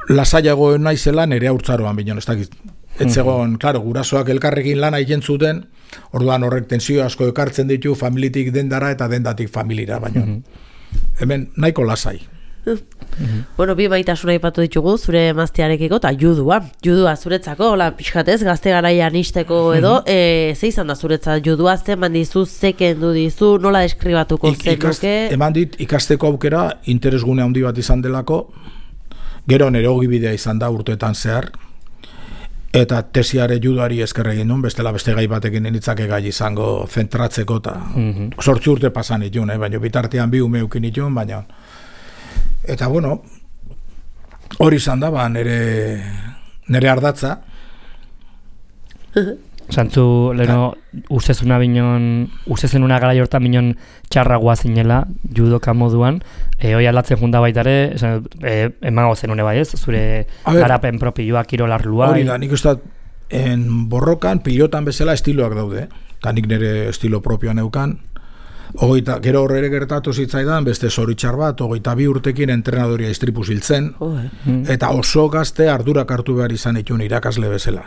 lasaiago naizela nire haurtzaroan binon, ez dakit. Etzegon, claro, gurasoak elkarrekin lana egiten zuten, orduan horrek tensio asko ekartzen ditu, familitik dendara eta dendatik familira, baina hemen nahiko lasai. Bueno, bi maitasuna aipatu ditugu zure emaztearekiko eta judua. Judua zuretzako, hola, pixkatez, gazte garaian isteko edo, e, ze izan da zuretzat judua, zeman dizu, zeken du dizu, nola deskribatuko Ik- zen ikast- duke? Eman dit, ikasteko aukera interesgune handi bat izan delako, gero nire ogibidea izan da urteetan zehar, eta tesiare judoari esker egin nun, bestela beste gai batekin nitzake gai izango zentratzeko, eta sortzi urte pasan itun, eh? Baina bitartean bi ume ukin itun, baina eta bueno, hori izan da, ba, nire, nire ardatza. Santzu, leheno, ustezuna binon, ustezenuna gara jortan binon txarragoa zinela, judoka moduan, e, hoi aldatzen junda baitare, esan, e, emango zenune bai ez, zure A ber, garapen propioa, kirolarlua. Hori da, nik uste dut, en borrokan, pilotan bezala estiloak daude, eta nik nire estilo propioa neukan. Ogeita, gero horre gertatu zitzaidan, beste zoritxar bat, ogeita bi urtekin entrenadoria istripu ziltzen, Oh, eh. eta oso gazte ardurak hartu behar izan itun irakasle bezala.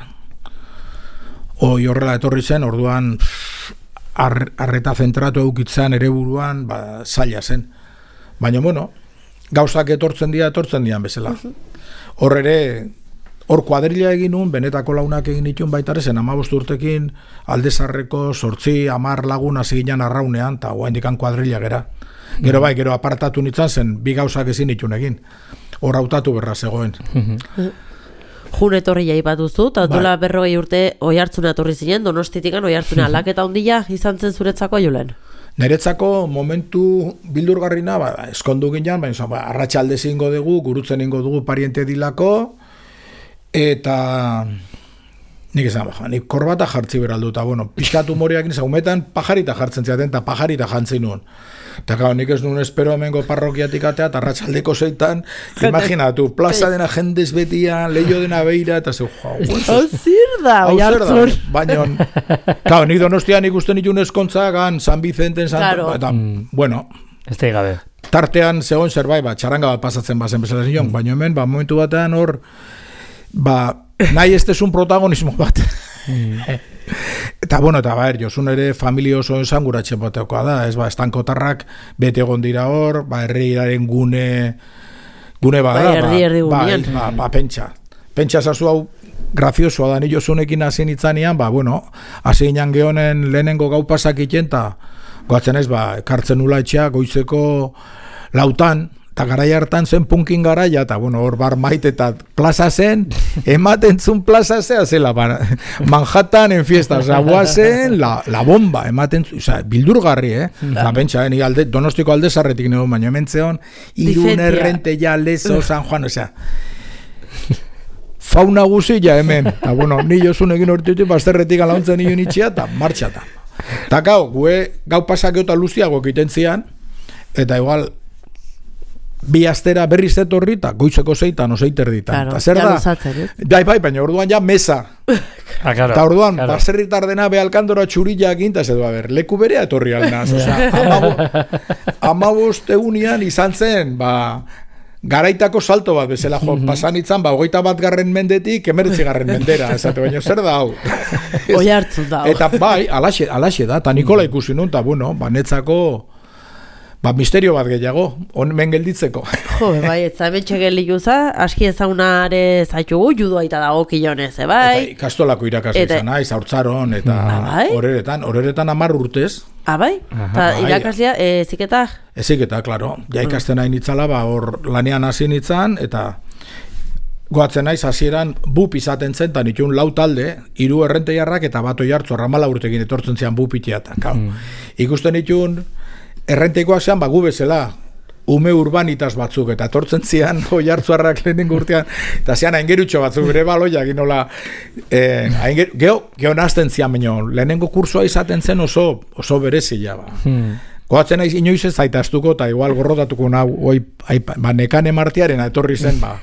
Hoi horrela etorri zen, orduan ar, arreta zentratu eukitzen ere buruan, ba, zaila zen. Baina, bueno, gauzak etortzen dira, etortzen dian bezala. Hor ere, hor kuadrilla egin nun, benetako launak egin itun baitare zen, amabost urtekin aldezarreko sortzi, amar lagun hasi ginen arraunean, eta oaindikan kuadrilla gera. Gero bai, gero apartatu nintzen zen, bi gauzak ezin itun egin. Hor hautatu berra zegoen. Jun etorri jaipatuzu, eta Bai. duela berrogei urte oi hartzuna etorri zinen, Donostitikan oi hartzuna aldaketa ondila izan zen zuretzako Julen. Niretzako momentu bildurgarrina, ba, eskondu ginen, baina ba, arratsalde ingo dugu, gurutzen ingo dugu pariente dilako, Eta nik esan, baja, nik korbata jartzi beraldu, eta bueno, pixkat humoreak nizak, umetan pajarita jartzen ziaten, eta pajarita jantzen nuen. Eta gau, nik ez nuen espero hemengo parrokiatik atea, eta ratxaldeko zeitan, imaginatu, plaza dena jendez betia, leio dena beira, eta zeu, jau, hau zer da, hau zer da, oihartzun. baina, gau, nik Donostian ikusten itun eskontza, gan, San Vicenten, San, Claro. eta, bueno, Ez da gabe. tartean zegoen zerbait, ba, txaranga bat pasatzen bazen bezala zion, baina hemen, ba, momentu batean hor, ba, nahi ez un protagonismo bat. Eta, bueno, eta, ba, er, Josun ere familia oso esanguratxe batekoa da, ez, ba, estankotarrak bete egon dira hor, ba, herriaren gune, gune bada, Bai, erdi, erdi ba, gunean. ba, ba, pentsa. Pentsa zazu hau, graziosoa da, ni Josunekin hasi nitzanean, ba, bueno, hasi inan gehonen lehenengo gau pasak iten, eta, goatzen ez, ba, kartzen nula etxea, goizeko lautan, eta garai hartan zen punkin garaia, eta bueno, hor bar maite eta plaza zen, ematen zun plaza zea zela, ba, Manhattan en fiesta, oza, guazen la, la bomba, ematen zun, oza, bildurgarri, eh? La pentsa, eh? Ni alde, Donostiko alde zarretik nego, baina hemen zeon, Irun, Errente, ja, Lezo, San Juan, osea, fauna guzia hemen, eta bueno, ni Josunekin hortitu, bazterretik alauntzen nio nitxia, eta martxata. Eta gau, gue, gau pasak eta luziago egiten zian, eta igual, bi astera berriz etorri eta goizeko zeitan, oseiter ditan. Claro, zer ja da? luzatzen, eh? Bai, bai, baina orduan ja mesa. Ah, claro, Eta orduan, claro. baserritar dena behalkandora txurillak intaz edo, a ber, leku berea etorri alnaz. Osea, amabost egunian izan zen, ba, garaitako salto bat bezala jo, pasan itzan, ba, hogeita bat garren mendetik, emeretzi garren mendera, esate, baina zer da hau? Oihartzun da. Eta bai, alaxe, alaxe da, eta Nikola ikusi nun, eta bueno, ba, netzako, ba, misterio bat gehiago, onmen gelditzeko. Jo, bai, ez hemen txegeliuza, aski ezagunare zaitugu, judo aita dago kilonez, eh, bai? Eta ikastolako irakasle Eta- izan naiz, haurtzaron, eta Ah, bai? horeretan, horeretan amar urtez, Ah, bai? Eta bai. irakaslea, e, ziketa? ezik eta, klaro, ja ikasten nahi nitzala, ba, hor lanean hasi nitzan, eta goatzen naiz hasieran bup izaten zen, eta nitun lau talde, hiru errenteiarrak eta bat oihartzu arramala urtekin etortzen zian bupitia, eta, mm. ikusten nitun, errenteikoak zean, ba, gu bezala, ume urbanitas batzuk, eta etortzen zian oihartzuarrak lehenengo urtean, eta zian aingerutxo batzuk, bere baloiak inola, eh, ainger, geho, geho nazten zian, baino, lehenengo kursoa izaten zen oso, oso berezia, ba. Hmm. Goatzen naiz inoiz ez zaitaztuko, eta igual gorrotatuko nau, oi, aipa, ba, nekane martiaren etorri zen, ba,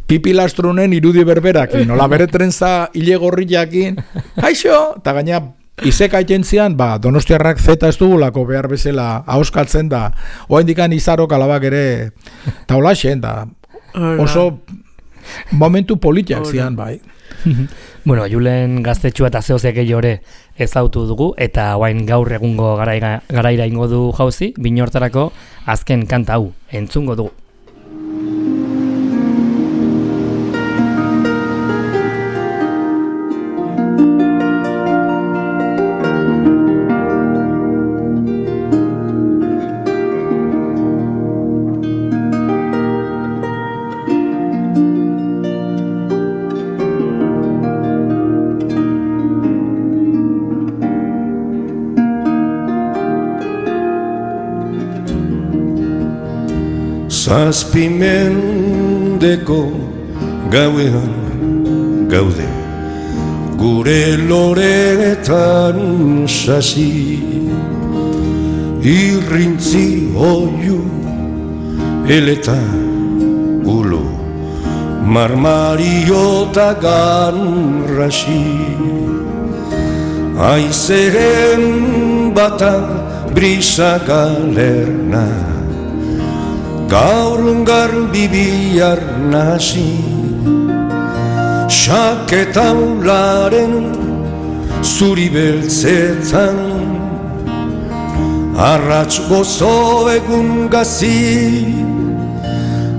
pipilastronen irudi berberakin, nola bere trenza hile gorriakin, kaixo, eta gaina izeka itentzian, ba, Donostiarrak zeta ez dugulako behar bezala ahoskatzen da, oa indikan izarok alabak ere, eta holaxen, da, oso momentu politiak zian, bai. Bueno, Julen gaztetxua eta zehozek gehiore ezautu dugu, eta guain gaur egungo garaira, garaira ingo du jauzi, binortarako azken kanta hau, entzungo dugu. Zazpimendeko gauean gaude, gure loretan sasi, irrintzi oiu eleta ulo, marmariota ganrasi, aizeren bata brisa galerna, gaur garbi bihar nasi, saketaularen zuri beltzetan, arratz gozo egun gazi,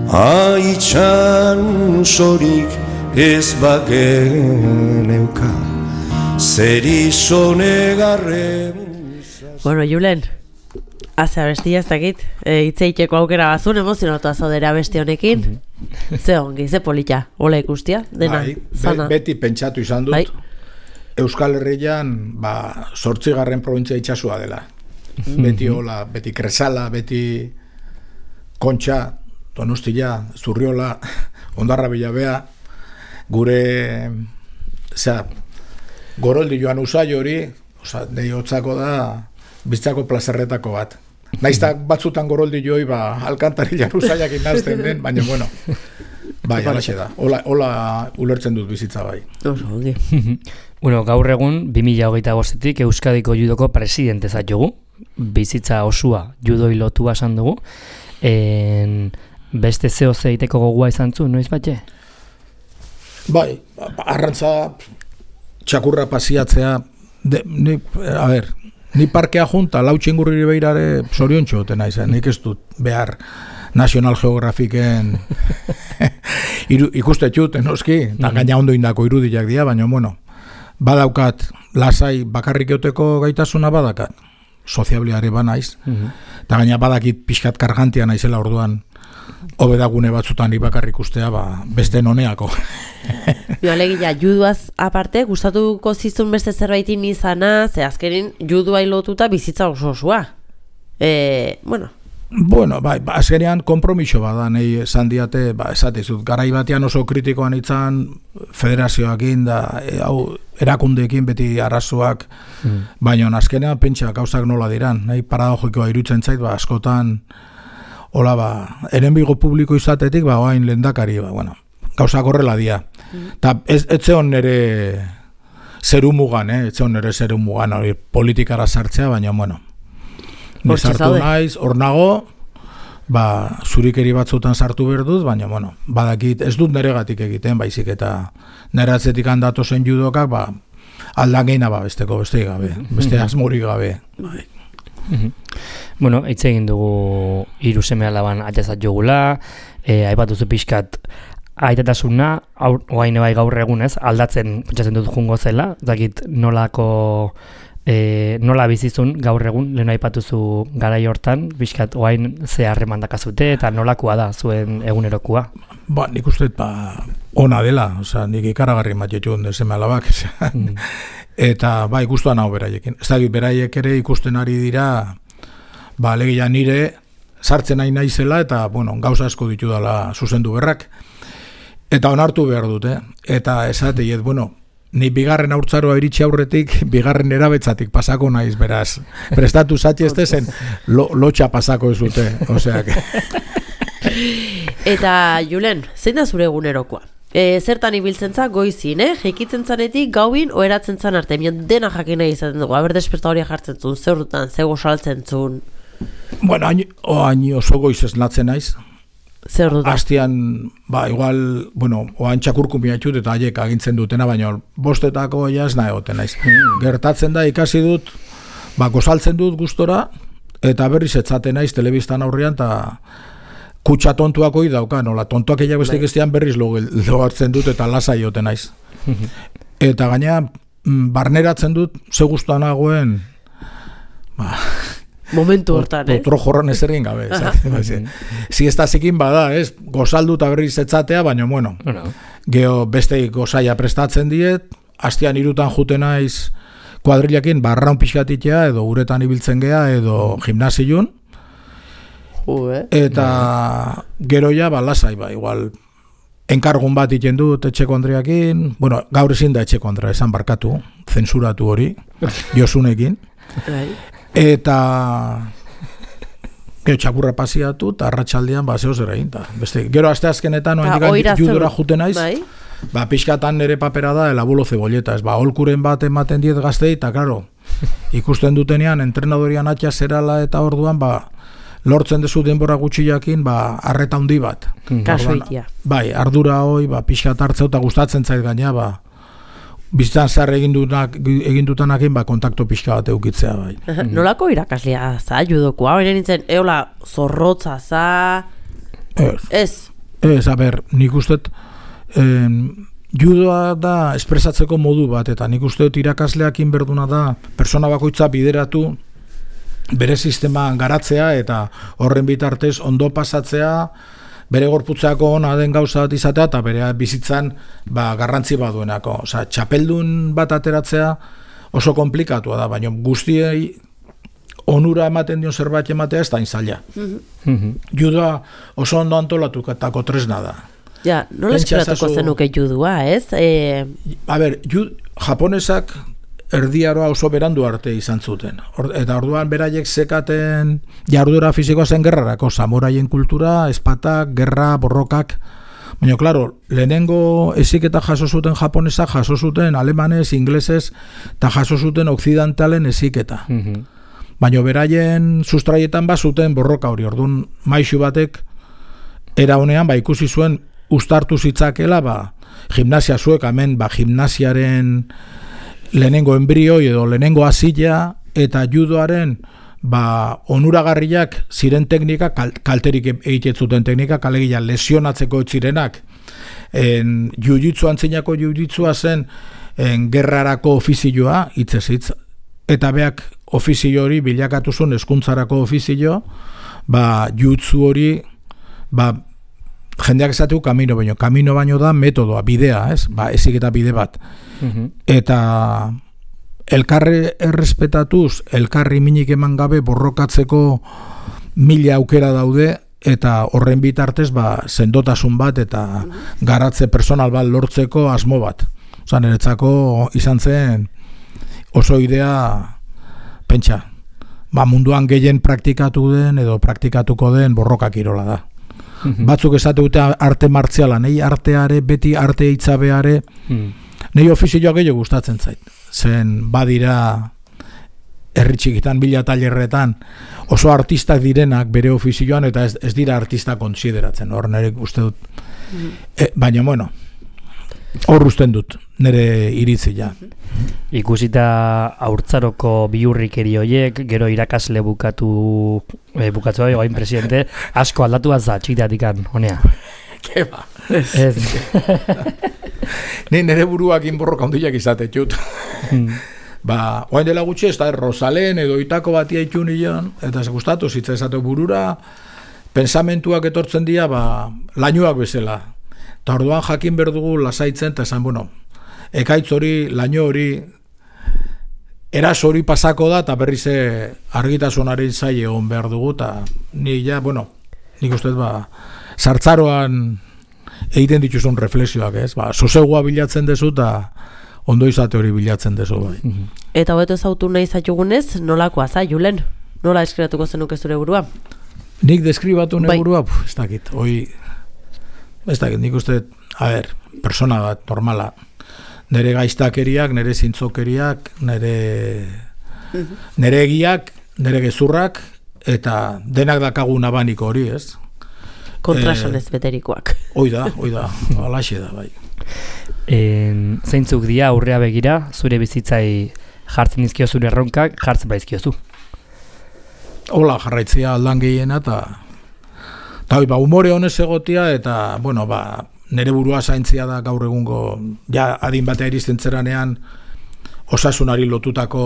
haitxan sorik ez bageneuka, zer izonegarren. Bueno, Julen, haze abestia ez dakit, e, itzeiteko aukera bazun, emozionatu azaudera beste honekin. Ze ongi, ze polita, hola ikustia, dena, Bai, be- zana. beti pentsatu izan dut, Bai. Euskal Herrian, ba, zortzigarren provintzia itxasua dela. Beti hola, beti Kresala, beti Kontxa, Donostia, Zurriola, Ondarra Bilabea, gure, osea, goroldi joan usai hori, osea, nahi hotzako da, bizitzako plazerretako bat. Naizta batzutan goroldi joi, ba, alkantarilan usaiak inazten den, baina, bueno, bai, alaxe da. Hola, hola ulertzen dut bizitza bai. Oso, ongi. Bueno, gaur egun, bi mila hogeita bostetik Euskadiko judoko presidente zatugu, bizitza osua judoi lotua esan dugu, en, beste zeo zeiteko gogoa izan zu, noiz batxe? Bai, arrantza txakurra pasiatzea, de, ni, a ber, ni parkea junta, lau txingurri beirare sorion txoten naizen, nik ez dut behar National Geographiken iru, ikuste txuten, noski, eta gaina ondo indako irudiak dira, baina, bueno, badaukat, lasai bakarrik euteko gaitasuna badakat, soziabliare ba naiz, eta gaina badakit pixkat kargantia naizela orduan, hobedagune batzutan ni bakarrik ustea, ba, beste noneako. Jo, alegia, juduaz aparte, gustatuko zizun beste zerbaitin izana, ze azkenin judua lotuta bizitza oso osua. E, bueno, Bueno, bai, ba, azkenean kompromiso bada, nahi esan diate, ba, esatizut, garai batean oso kritikoan itzan federazioakin da, e, hau, erakundeekin beti arazoak, mm. baina azkenean pentsa gauzak nola diran, nahi paradojikoa irutzen zait, ba, askotan, hola, ba, enemigo publiko izatetik, ba, oain lehendakari, ba, bueno, gauzak horrela dia. Eta mm. ez, ez zeon nere zeru mugan, eh? ez zeon nere zeru mugan, hori politikara sartzea, baina, bueno, ni sartu naiz, hor nago, ba, zurikeri batzutan sartu behar dut, baina, bueno, badakit, ez dut neregatik egiten, baizik eta nere atzetik handatu zen judokak, ba, aldan geina ba, besteko, beste gabe, beste asmorik gabe. Bai. Bueno, hitz egin dugu hiru seme alaban atezat jogula, e, aipatuzu pixkat aitatasuna, oain bai gaur egunez, aldatzen pentsatzen dut jungo zela, dakit nolako E, nola bizizun gaur egun, lehen aipatuzu garai hortan, bizkat oain ze harreman dakazute eta nolakoa da zuen egunerokoa? Ba, nik uste ba, ona dela, oza, nik ikaragarri matxetxu honden seme alabak, mm. eta ba, ikustuan hau beraiekin. Ez da, beraiek ere ikusten ari dira, ba, alegia nire sartzen nahi naizela eta, bueno, gauza asko ditu dela zuzendu berrak, eta onartu behar dute, eta esateiet, bueno, ni bigarren haurtzaroa iritsi aurretik, bigarren erabetzatik pasako naiz, beraz. Prestatu zatxe ez dezen, lo, lotxa pasako ez dute. Osea, que... Eta, Julen, zein da zure egunerokoa? E, zertan ibiltzen za, goizin, eh? Jekitzen zanetik, gauin, oeratzen zan arte. Mion dena jakin nahi izaten dugu. Aber desperta hori jartzen zuen, zer dutan, zego saltzen zuen. Bueno, hain, oh, hain oso goiz ez natzen naiz. Zer dut? Astian, ba, igual, bueno, oan txakurkumia txut eta haiek agintzen dutena, baina bostetako jaz nahi goten naiz. Mm. Gertatzen da, ikasi dut, ba, gozaltzen dut gustora, eta berriz etzaten naiz telebistan aurrean, eta kutsa tontuako idauka, nola, tontuak eiak bestik estian berriz logartzen dut, eta lasai joten naiz. Eta gaina, barneratzen dut, ze gustuan nagoen, ba... Momentu hortan, eh? Otro jorran ez egin gabe. Si ez da zikin bada, ez? Gozaldu eta berriz etzatea, baina, bueno, geho beste gozaia prestatzen diet, hastian irutan juten naiz kuadrilakin barraun pixkatitea, edo uretan ibiltzen gea, edo gimnasiun. Eta gero ja, ba, lasai, ba, igual, enkargun bat iten dut etxeko andreakin, bueno, gaur ezin da etxeko andrea, esan barkatu, zensuratu hori, Josunekin. Eta gero txakurra pasiatu eta arratsaldean ba zeo zer egin ta. Beste gero aste azkenetan oraindik judora juten naiz. Bai. Ba pixkatan nere papera da el abuelo cebolleta, ez ba holkuren bat ematen diet gaztei eta claro, ikusten dutenean entrenadorian atxa zerala eta orduan ba lortzen dezu denbora gutxiakin ba harreta handi bat. Kasuitia. Bai, ardura hoi ba pixkat hartzeu eta gustatzen zait gaina ba bizitzan zer egindutak egindutanakin ba kontakto pixka bat eukitzea bai. Nolako irakaslea za judokoa? Hori nintzen eola zorrotza za. Ez. Ez. Ez, a ber, nik uste judoa da espresatzeko modu bat eta nik uste irakasleakin berduna da persona bakoitza bideratu bere sistema garatzea eta horren bitartez ondo pasatzea bere gorputzako ona den gauza bat izatea eta bere bizitzan ba, garrantzi baduenako. Osea, txapeldun bat ateratzea oso komplikatua da, baina guztiei onura ematen dion zerbait ematea ez da inzaila. Mm-hmm. Judoa oso ondo antolatutako tresna da. Ja, nola eskeratuko zenuke judua, ez? E... A ber, jud, japonesak erdiaroa oso berandu arte izan zuten. Or, eta orduan beraiek zekaten jardura fisikoa zen gerrarako, samoraien kultura, espatak, gerra, borrokak. Baina, klaro, lehenengo heziketa jaso zuten japonesak, jaso zuten alemanez, inglesez, eta jaso zuten okzidentalen heziketa. Mm-hmm. Baina, beraien sustraietan ba zuten borroka hori. Orduan, maixu batek, era honean, ba, ikusi zuen, ustartu zitzakela, ba, gimnasia zuek, hemen, ba, gimnasiaren lehenengo embrioi edo lehenengo azila, eta judoaren, ba, onuragarriak ziren teknika, kal, kalterik egitetzuten teknika, kalegia lesionatzeko etzirenak, en, jiu-jitsu antzinako jiu-jitsua zen en, gerrarako ofizioa, hitzez hitz, eta beak ofizio hori bilakatu zuen hezkuntzarako ofizio, ba, jiu-jitsu hori, ba, jendeak esateu kamino baino, kamino baino da metodoa, bidea, ez? Ba, ezik eta bide bat. Mm-hmm. Eta elkarri errespetatuz, elkarri minik eman gabe borrokatzeko mila aukera daude, eta horren bitartez ba, sendotasun bat eta garatze personal bat lortzeko asmo bat. Osa, niretzako izan zen oso idea pentsa. Ba, munduan gehien praktikatu den edo praktikatuko den borroka kirola da. Mm-hmm. Batzuk esate dute arte martziala, nahi arteare, beti arte hitzabeare, mm. nahi ofizioa gehiago gustatzen zait. Zen badira herri txikitan, bila tailerretan oso artistak direnak bere ofizioan eta ez, ez dira artista konsideratzen. Hor nire uste dut. Mm. E, baina, bueno, hor usten dut, nire iritzia. Ikusita haurtzaroko bihurrikeri horiek, gero irakasle bukatu, eh, bukatu hori, oain presidente, asko aldatu bat za, txikiteatikan, honea. Keba. Ez. Ni nire buruak inborroka ondiak izate txut. Hmm. Ba, oain dela gutxi, ez da, Rosalen edo itako batia itxun nion, eta ez gustatu, zitza esate burura, pensamentuak etortzen dira, ba, lainuak bezala. Eta orduan jakin berdugu lasaitzen, eta esan, bueno, ekaitz hori, laino hori, eras hori pasako da, eta berriz argitasunaren zai egon behar dugu, eta ni ja, bueno, nik uste, ba, sartzaroan egiten dituzun reflexioak, ez? Ba, sosegua bilatzen dezu, eta ondo izate hori bilatzen dezu, bai. Eta hobeto zautu nahi zailugunez, nolakoa za, Julen? Nola eskribatuko zenuke zure burua? Nik deskribatu nire burua, bai. Ez dakit, hoi, ez dakit, nik uste, a ber, persona bat, normala, nire gaiztakeriak, nire zintzokeriak, nire, nire egiak, nire gezurrak, eta denak dakagun abaniko hori, ez? Kontrasanez eh, beterikoak. Hoi da, hoi da, alaxe da, bai. En, zeintzuk dia aurrea begira, zure bizitzai jartzen dizkio zure erronkak, jartzen baizkiozu. Hola, jarraitzea aldan gehiena, eta eta hoi, ba, umore honez egotia, eta, bueno, ba, nire burua zaintzia da gaur egungo, ja, adin batea iristen zeranean, osasunari lotutako,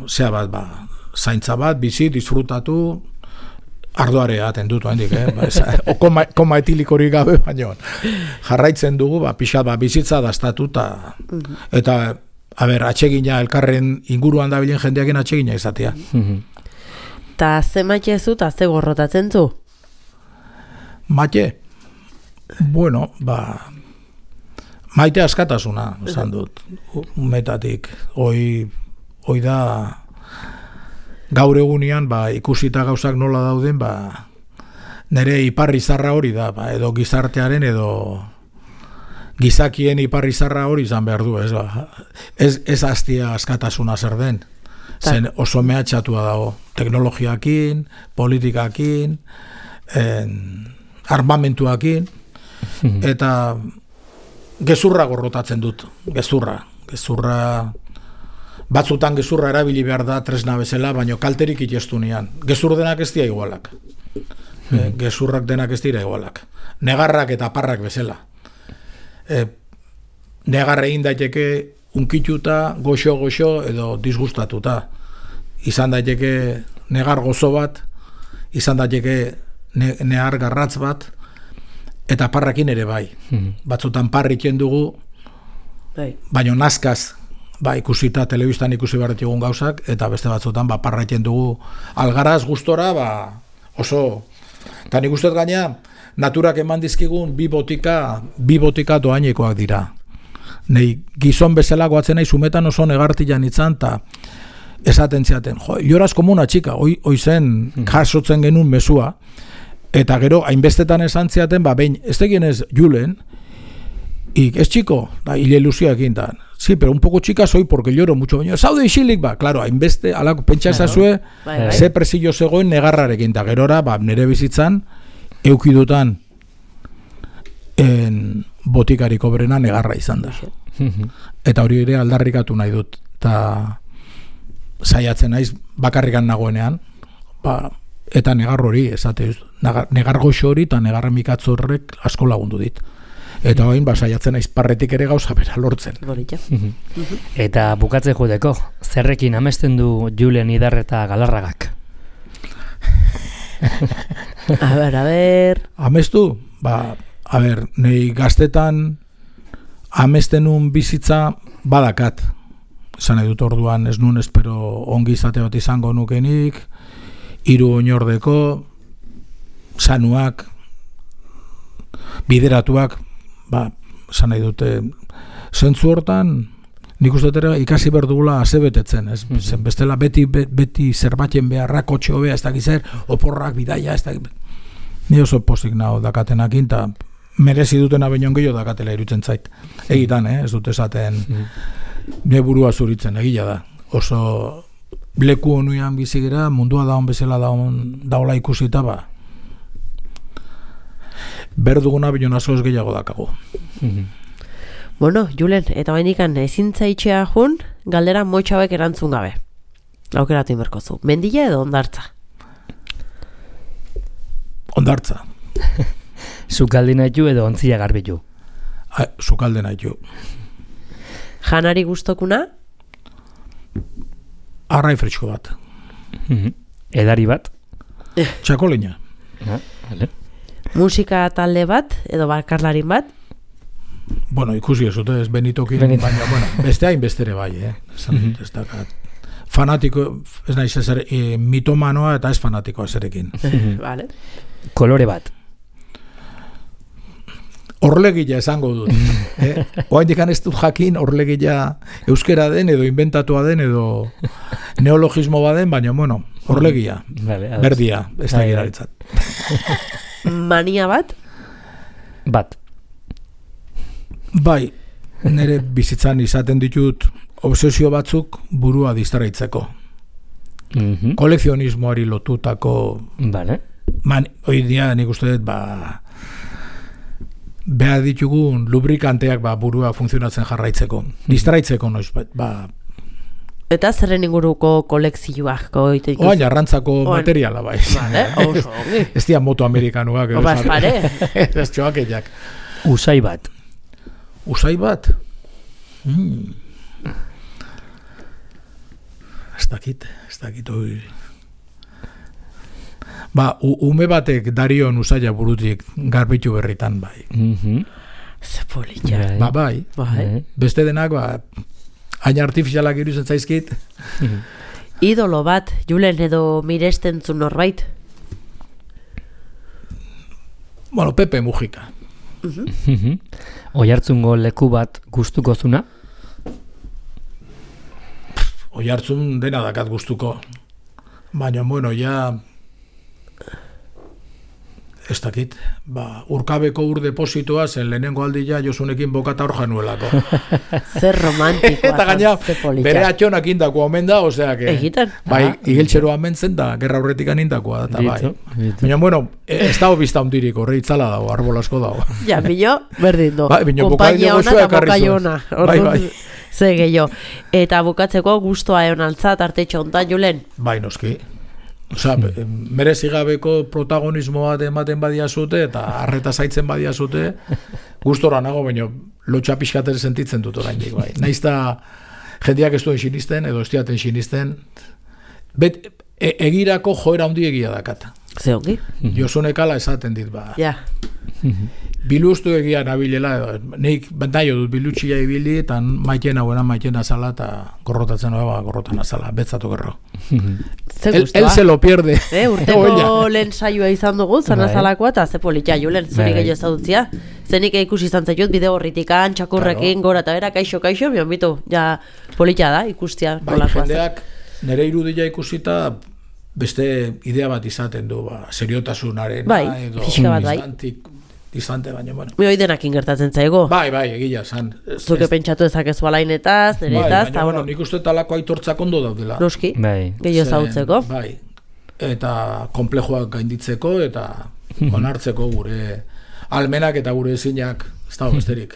zea bat, ba, zaintza bat, bizi, disfrutatu, ardoare aten dut, hendik, eh? Ba, o koma, koma etilikorik gabe, baina jarraitzen dugu, ba, pixat, ba, bizitza daztatu, ta, eta, a ber, atsegina, elkarren inguruan da bilen jendeakin atsegina izatea. Ta ze maite zu, ta ze gorrotatzen zu? Maite? Bueno, ba, maite askatasuna, esan dut, metatik, hoi, hoi da, gaur egunean, ba, ikusita gauzak nola dauden, ba, nire iparrizarra hori da, ba, edo gizartearen, edo gizakien iparrizarra hori izan behar du, ez, ba. ez, ez hastia askatasuna zer den, zen oso mehatxatua dago, teknologiakin, politikakin, en, armamentuakin, eta gezurra gorrotatzen dut, gezurra, gezurra, batzutan gezurra erabili behar da tresna bezala, baino kalterik itestu nian. Gezur denak ez dira igualak. Hmm. E, gezurrak denak ez dira igualak. Negarrak eta parrak bezala. E, negarra egin daiteke unkituta, goxo-goxo edo disgustatuta. Izan daiteke negar gozo bat, izan daiteke ne, negar garratz bat, eta parrakin ere bai. Hmm. Batzutan parriken dugu, baino nazkaz, ba, ikusita, telebistan ikusi behar egun gauzak, eta beste batzutan, ba, parraiten dugu algaraz gustora, ba, oso, eta nik uste gaina, naturak eman dizkigun bi botika, bi botika doainekoak dira. Nei gizon bezala goatzen nahi sumetan oso negartian itzan, eta esaten ziaten, jo, lloras como una chica, hoi, hoi zen jasotzen genuen mesua, eta gero, hainbestetan esan ziaten, ba, behin, ez tegien ez Julen, y es chico, da, hile ilusioak intan, sí, pero un poco chica soy porque lloro mucho, baina, zaude isilik, ba, claro, hainbeste, alako, pentsa ezazue, bai, bai. ze presillo zegoen negarrarekin, eta gerora, ba, nire bizitzan, eukidutan, en botikariko berena negarra izan da. Eta hori ere aldarrikatu nahi dut, eta saiatzen naiz bakarrikan nagoenean, ba, eta negar hori, esate, negar goxo hori eta negar mikatz horrek asko lagundu dit. Eta hain, ba, saiatzen naiz parretik ere gauza bera lortzen. Eta bukatze judeko, zerrekin amesten du Julen Idarreta Galarragak? A ber, a ber... Amestu? Ba, a ber, nei gaztetan amestenun bizitza badakat. Esan nahi dut orduan ez nun espero ongi izate bat izango nukenik, hiru oinordeko, sanuak, bideratuak, ba, esan nahi dute, zentzu hortan, nik uste dut ikasi behar dugula azebetetzen, ez? Mm-hmm. Zen bestela beti, beti zerbatzen beharrak, kotxe hobea, ez dakit zer, oporrak, bidaia, ez dakit. Ni oso pozik naho dakatenakin, eta merezi dutena baino gehiago dakatela irutzen zait. Egitan, eh? Ez dut esaten... Mm-hmm. Ne burua zuritzen, egia da. Oso leku honuan bizigera, mundua daun bezala daun, daula ikusita, ba. Berduguna bion askoz gehiago dakago. Mm-hmm. Bueno, Julen, eta bainikan ezin zaitxea jun, galdera motxabek erantzun gabe. Aukeratu inberkozu. Mendila edo ondartza? Ondartza. Sukalde nahitu edo ontzia garbitu? Sukalde nahitu. Janari gustokuna? Arrai fritxko bat. Mm-hmm. Edari bat? Txakolina. Ah, vale. Musika talde bat edo bakarlarin bat? Bueno, ikusi ez dute ez benitokin, Benito. Baina, bueno, beste hain bestere bai, eh? Esan dut, ez dakat. Fanatiko, ez naiz ezer, e, mitomanoa eta ez fanatikoa zerekin. Vale. Kolore bat? Orlegila esango dut. eh? Oaindikan ez dut jakin orlegila euskera den edo inventatua den edo neologismo baden, baina bueno, orlegila. Vale, berdia, ez da giraritzat. Mania bat? Bat. Bai, nire bizitzan izaten ditut obsesio batzuk burua distraitzeko. Mm-hmm. Kolekzionismoari lotutako... Vale. Man, hoi dia nik uste dut, ba... behar ditugun lubrikanteak ba, burua funtzionatzen jarraitzeko. Distraitzeko noiz, ba... Eta zerren inguruko kolekzioak? Oain, arrantzako materiala, bai. Vale, oso, ongi. Ez dia moto amerikanuak. Oba, ez pare. Ez txoakeiak. Usai bat? Usai bat? Hmm. Ez dakit, ez dakit hori... Ba, ume batek darion usaila burutik garbitu berritan, bai. Mm-hmm. Ze politxa. Ba, bai. Bai. Beste denak, ba, hain artifizialak iruzen zaizkit. Idolo bat, Julen edo miresten zu norbait? Bueno, Pepe Mujica. Mm-hmm. Oihartzungo leku bat gustuko zuna? Oihartzun dena dakat gustuko. Baina, bueno, ja... Ez dakit, ba, urkabeko ur depositoa zen lehenengo aldia Josunekin bokata hor januelako. Zer romantikoa. Eta gaina, bere atxonak indako omen da, osea, que, Egiten. bai, Ah. igeltxeroa mentzen da, gerra horretik anindakoa da, eta bai. Bito. Baina, bueno, ez dago bizta hundirik, horre itzala dago, arbol asko dago. Ja, bino, berdin do. Bai, bino, Konpainia bokadillo ona gozoa eta ekarri bokaio zuen. ona. Bai, bai. Ze gehiago. Eta bukatzeko gustoa egon altzat artetxo ontan, Julen? Bai, noski. Osa, merezigabeko protagonismo bat ematen badia zute, eta arreta zaitzen badia zute, gustora nago, baina lotxa pixkaten sentitzen dut oraindik, bai. Naiz da jendeak ez duen sinisten, edo ez diaten sinisten, bet, e, egirako joera handi egia dakat. Ze ongi? Josunek ala esaten dit, ba. Ja. Biluztu egia nabilela, neik naio dut bilutxia ibili, eta maiten hauena maiten azala, eta gorrotatzen hau, gorrotan azala, betzatu gerro. El, el se lo pierde. Eh, urteko lehen saioa izan dugu, zanazalakoa, eta ze politia julen, zenik egin ezadutzia. Zenik ikusi izan zaitut, bide horritikan, txakurrekin, gora eta bera, kaixo, kaixo, bion bitu, ja politia da, ikustia. Bai, jendeak nire irudia ikusita, beste idea bat izaten du, ba, seriotasunaren, bai, edo, pixka bat, bai. Distante, baina, bueno. Mi hoi denakin gertatzen zaigo. Bai, bai, egia, zan. Zuke pentsatu ezakezu alainetaz, neretaz, bai, eta, bueno, nik uste talako aitortzak ondo daudela. Noski, bai. gehiago zautzeko. Bai, eta komplejoak gainditzeko, eta onartzeko gure almenak eta gure ezinak, ez dago besterik.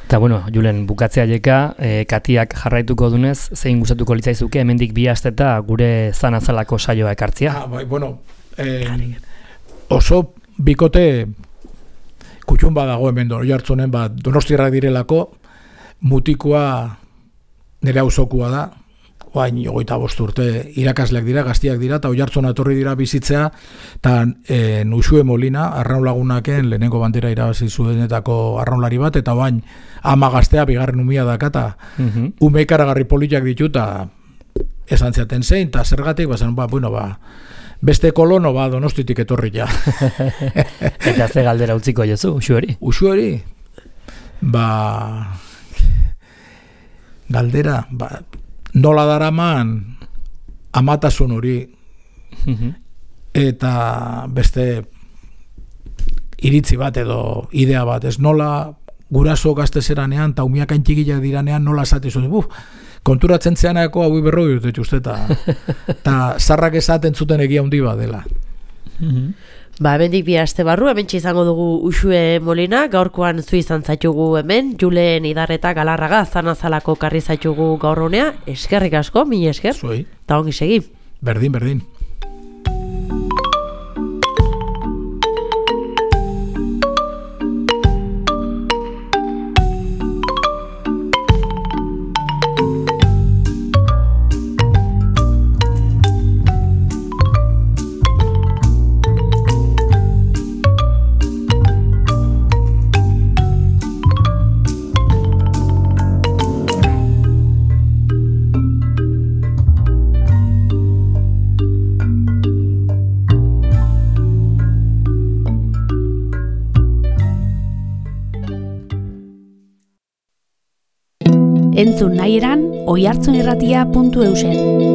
Eta, bueno, Julen, bukatzea jeka, e, Katiak jarraituko dunez, zein gustatuko litzaizuke, hemendik bi asteta gure zanazalako saioa ekartzia. Ah, bai, bueno, eh, oso bikote kutxun badago hemen do, jartzunen, bat Donostiarrak direlako, mutikoa nire auzokua da, oain hogeita bost urte irakasleak dira, gaztiak dira, eta oihartzuna etorri dira bizitzea, eta e, Uxue Molina, arraun lagunaken, lehenengo bandera irabazi zuenetako arraunlari bat, eta oain ama gaztea, bigarren umia daka, eta Mhm. ume ikaragarri politak ditu, eta esan ziaten zein, eta zergatik, bazen, ba, bueno, ba, beste kolono, ba, Donostitik etorri ja. Eta ze galdera utziko jozu, Uxueri? Uxueri, ba, galdera, ba, nola daraman amatasun hori, Mhm. eta beste iritzi bat edo idea bat, ez nola guraso gaztezeranean, eta umiak aintxikilak diranean, nola esate zuen, buf, konturatzen zeanako hau berroi dut etxuste, eta zarrak esaten zuten egia handi bat dela. Ba, hemendik bi aste barru, hementxe izango dugu Uxue Molina, gaurkoan zu izan zaitugu hemen, Julen Idarreta Galarraga, zanazalako karri zaitugu gaur honea, eskerrik asko, mini esker, Zuei, eta ongi segi. berdin, berdin. Entzun nahi eran, oihartzunirratia puntu eusen.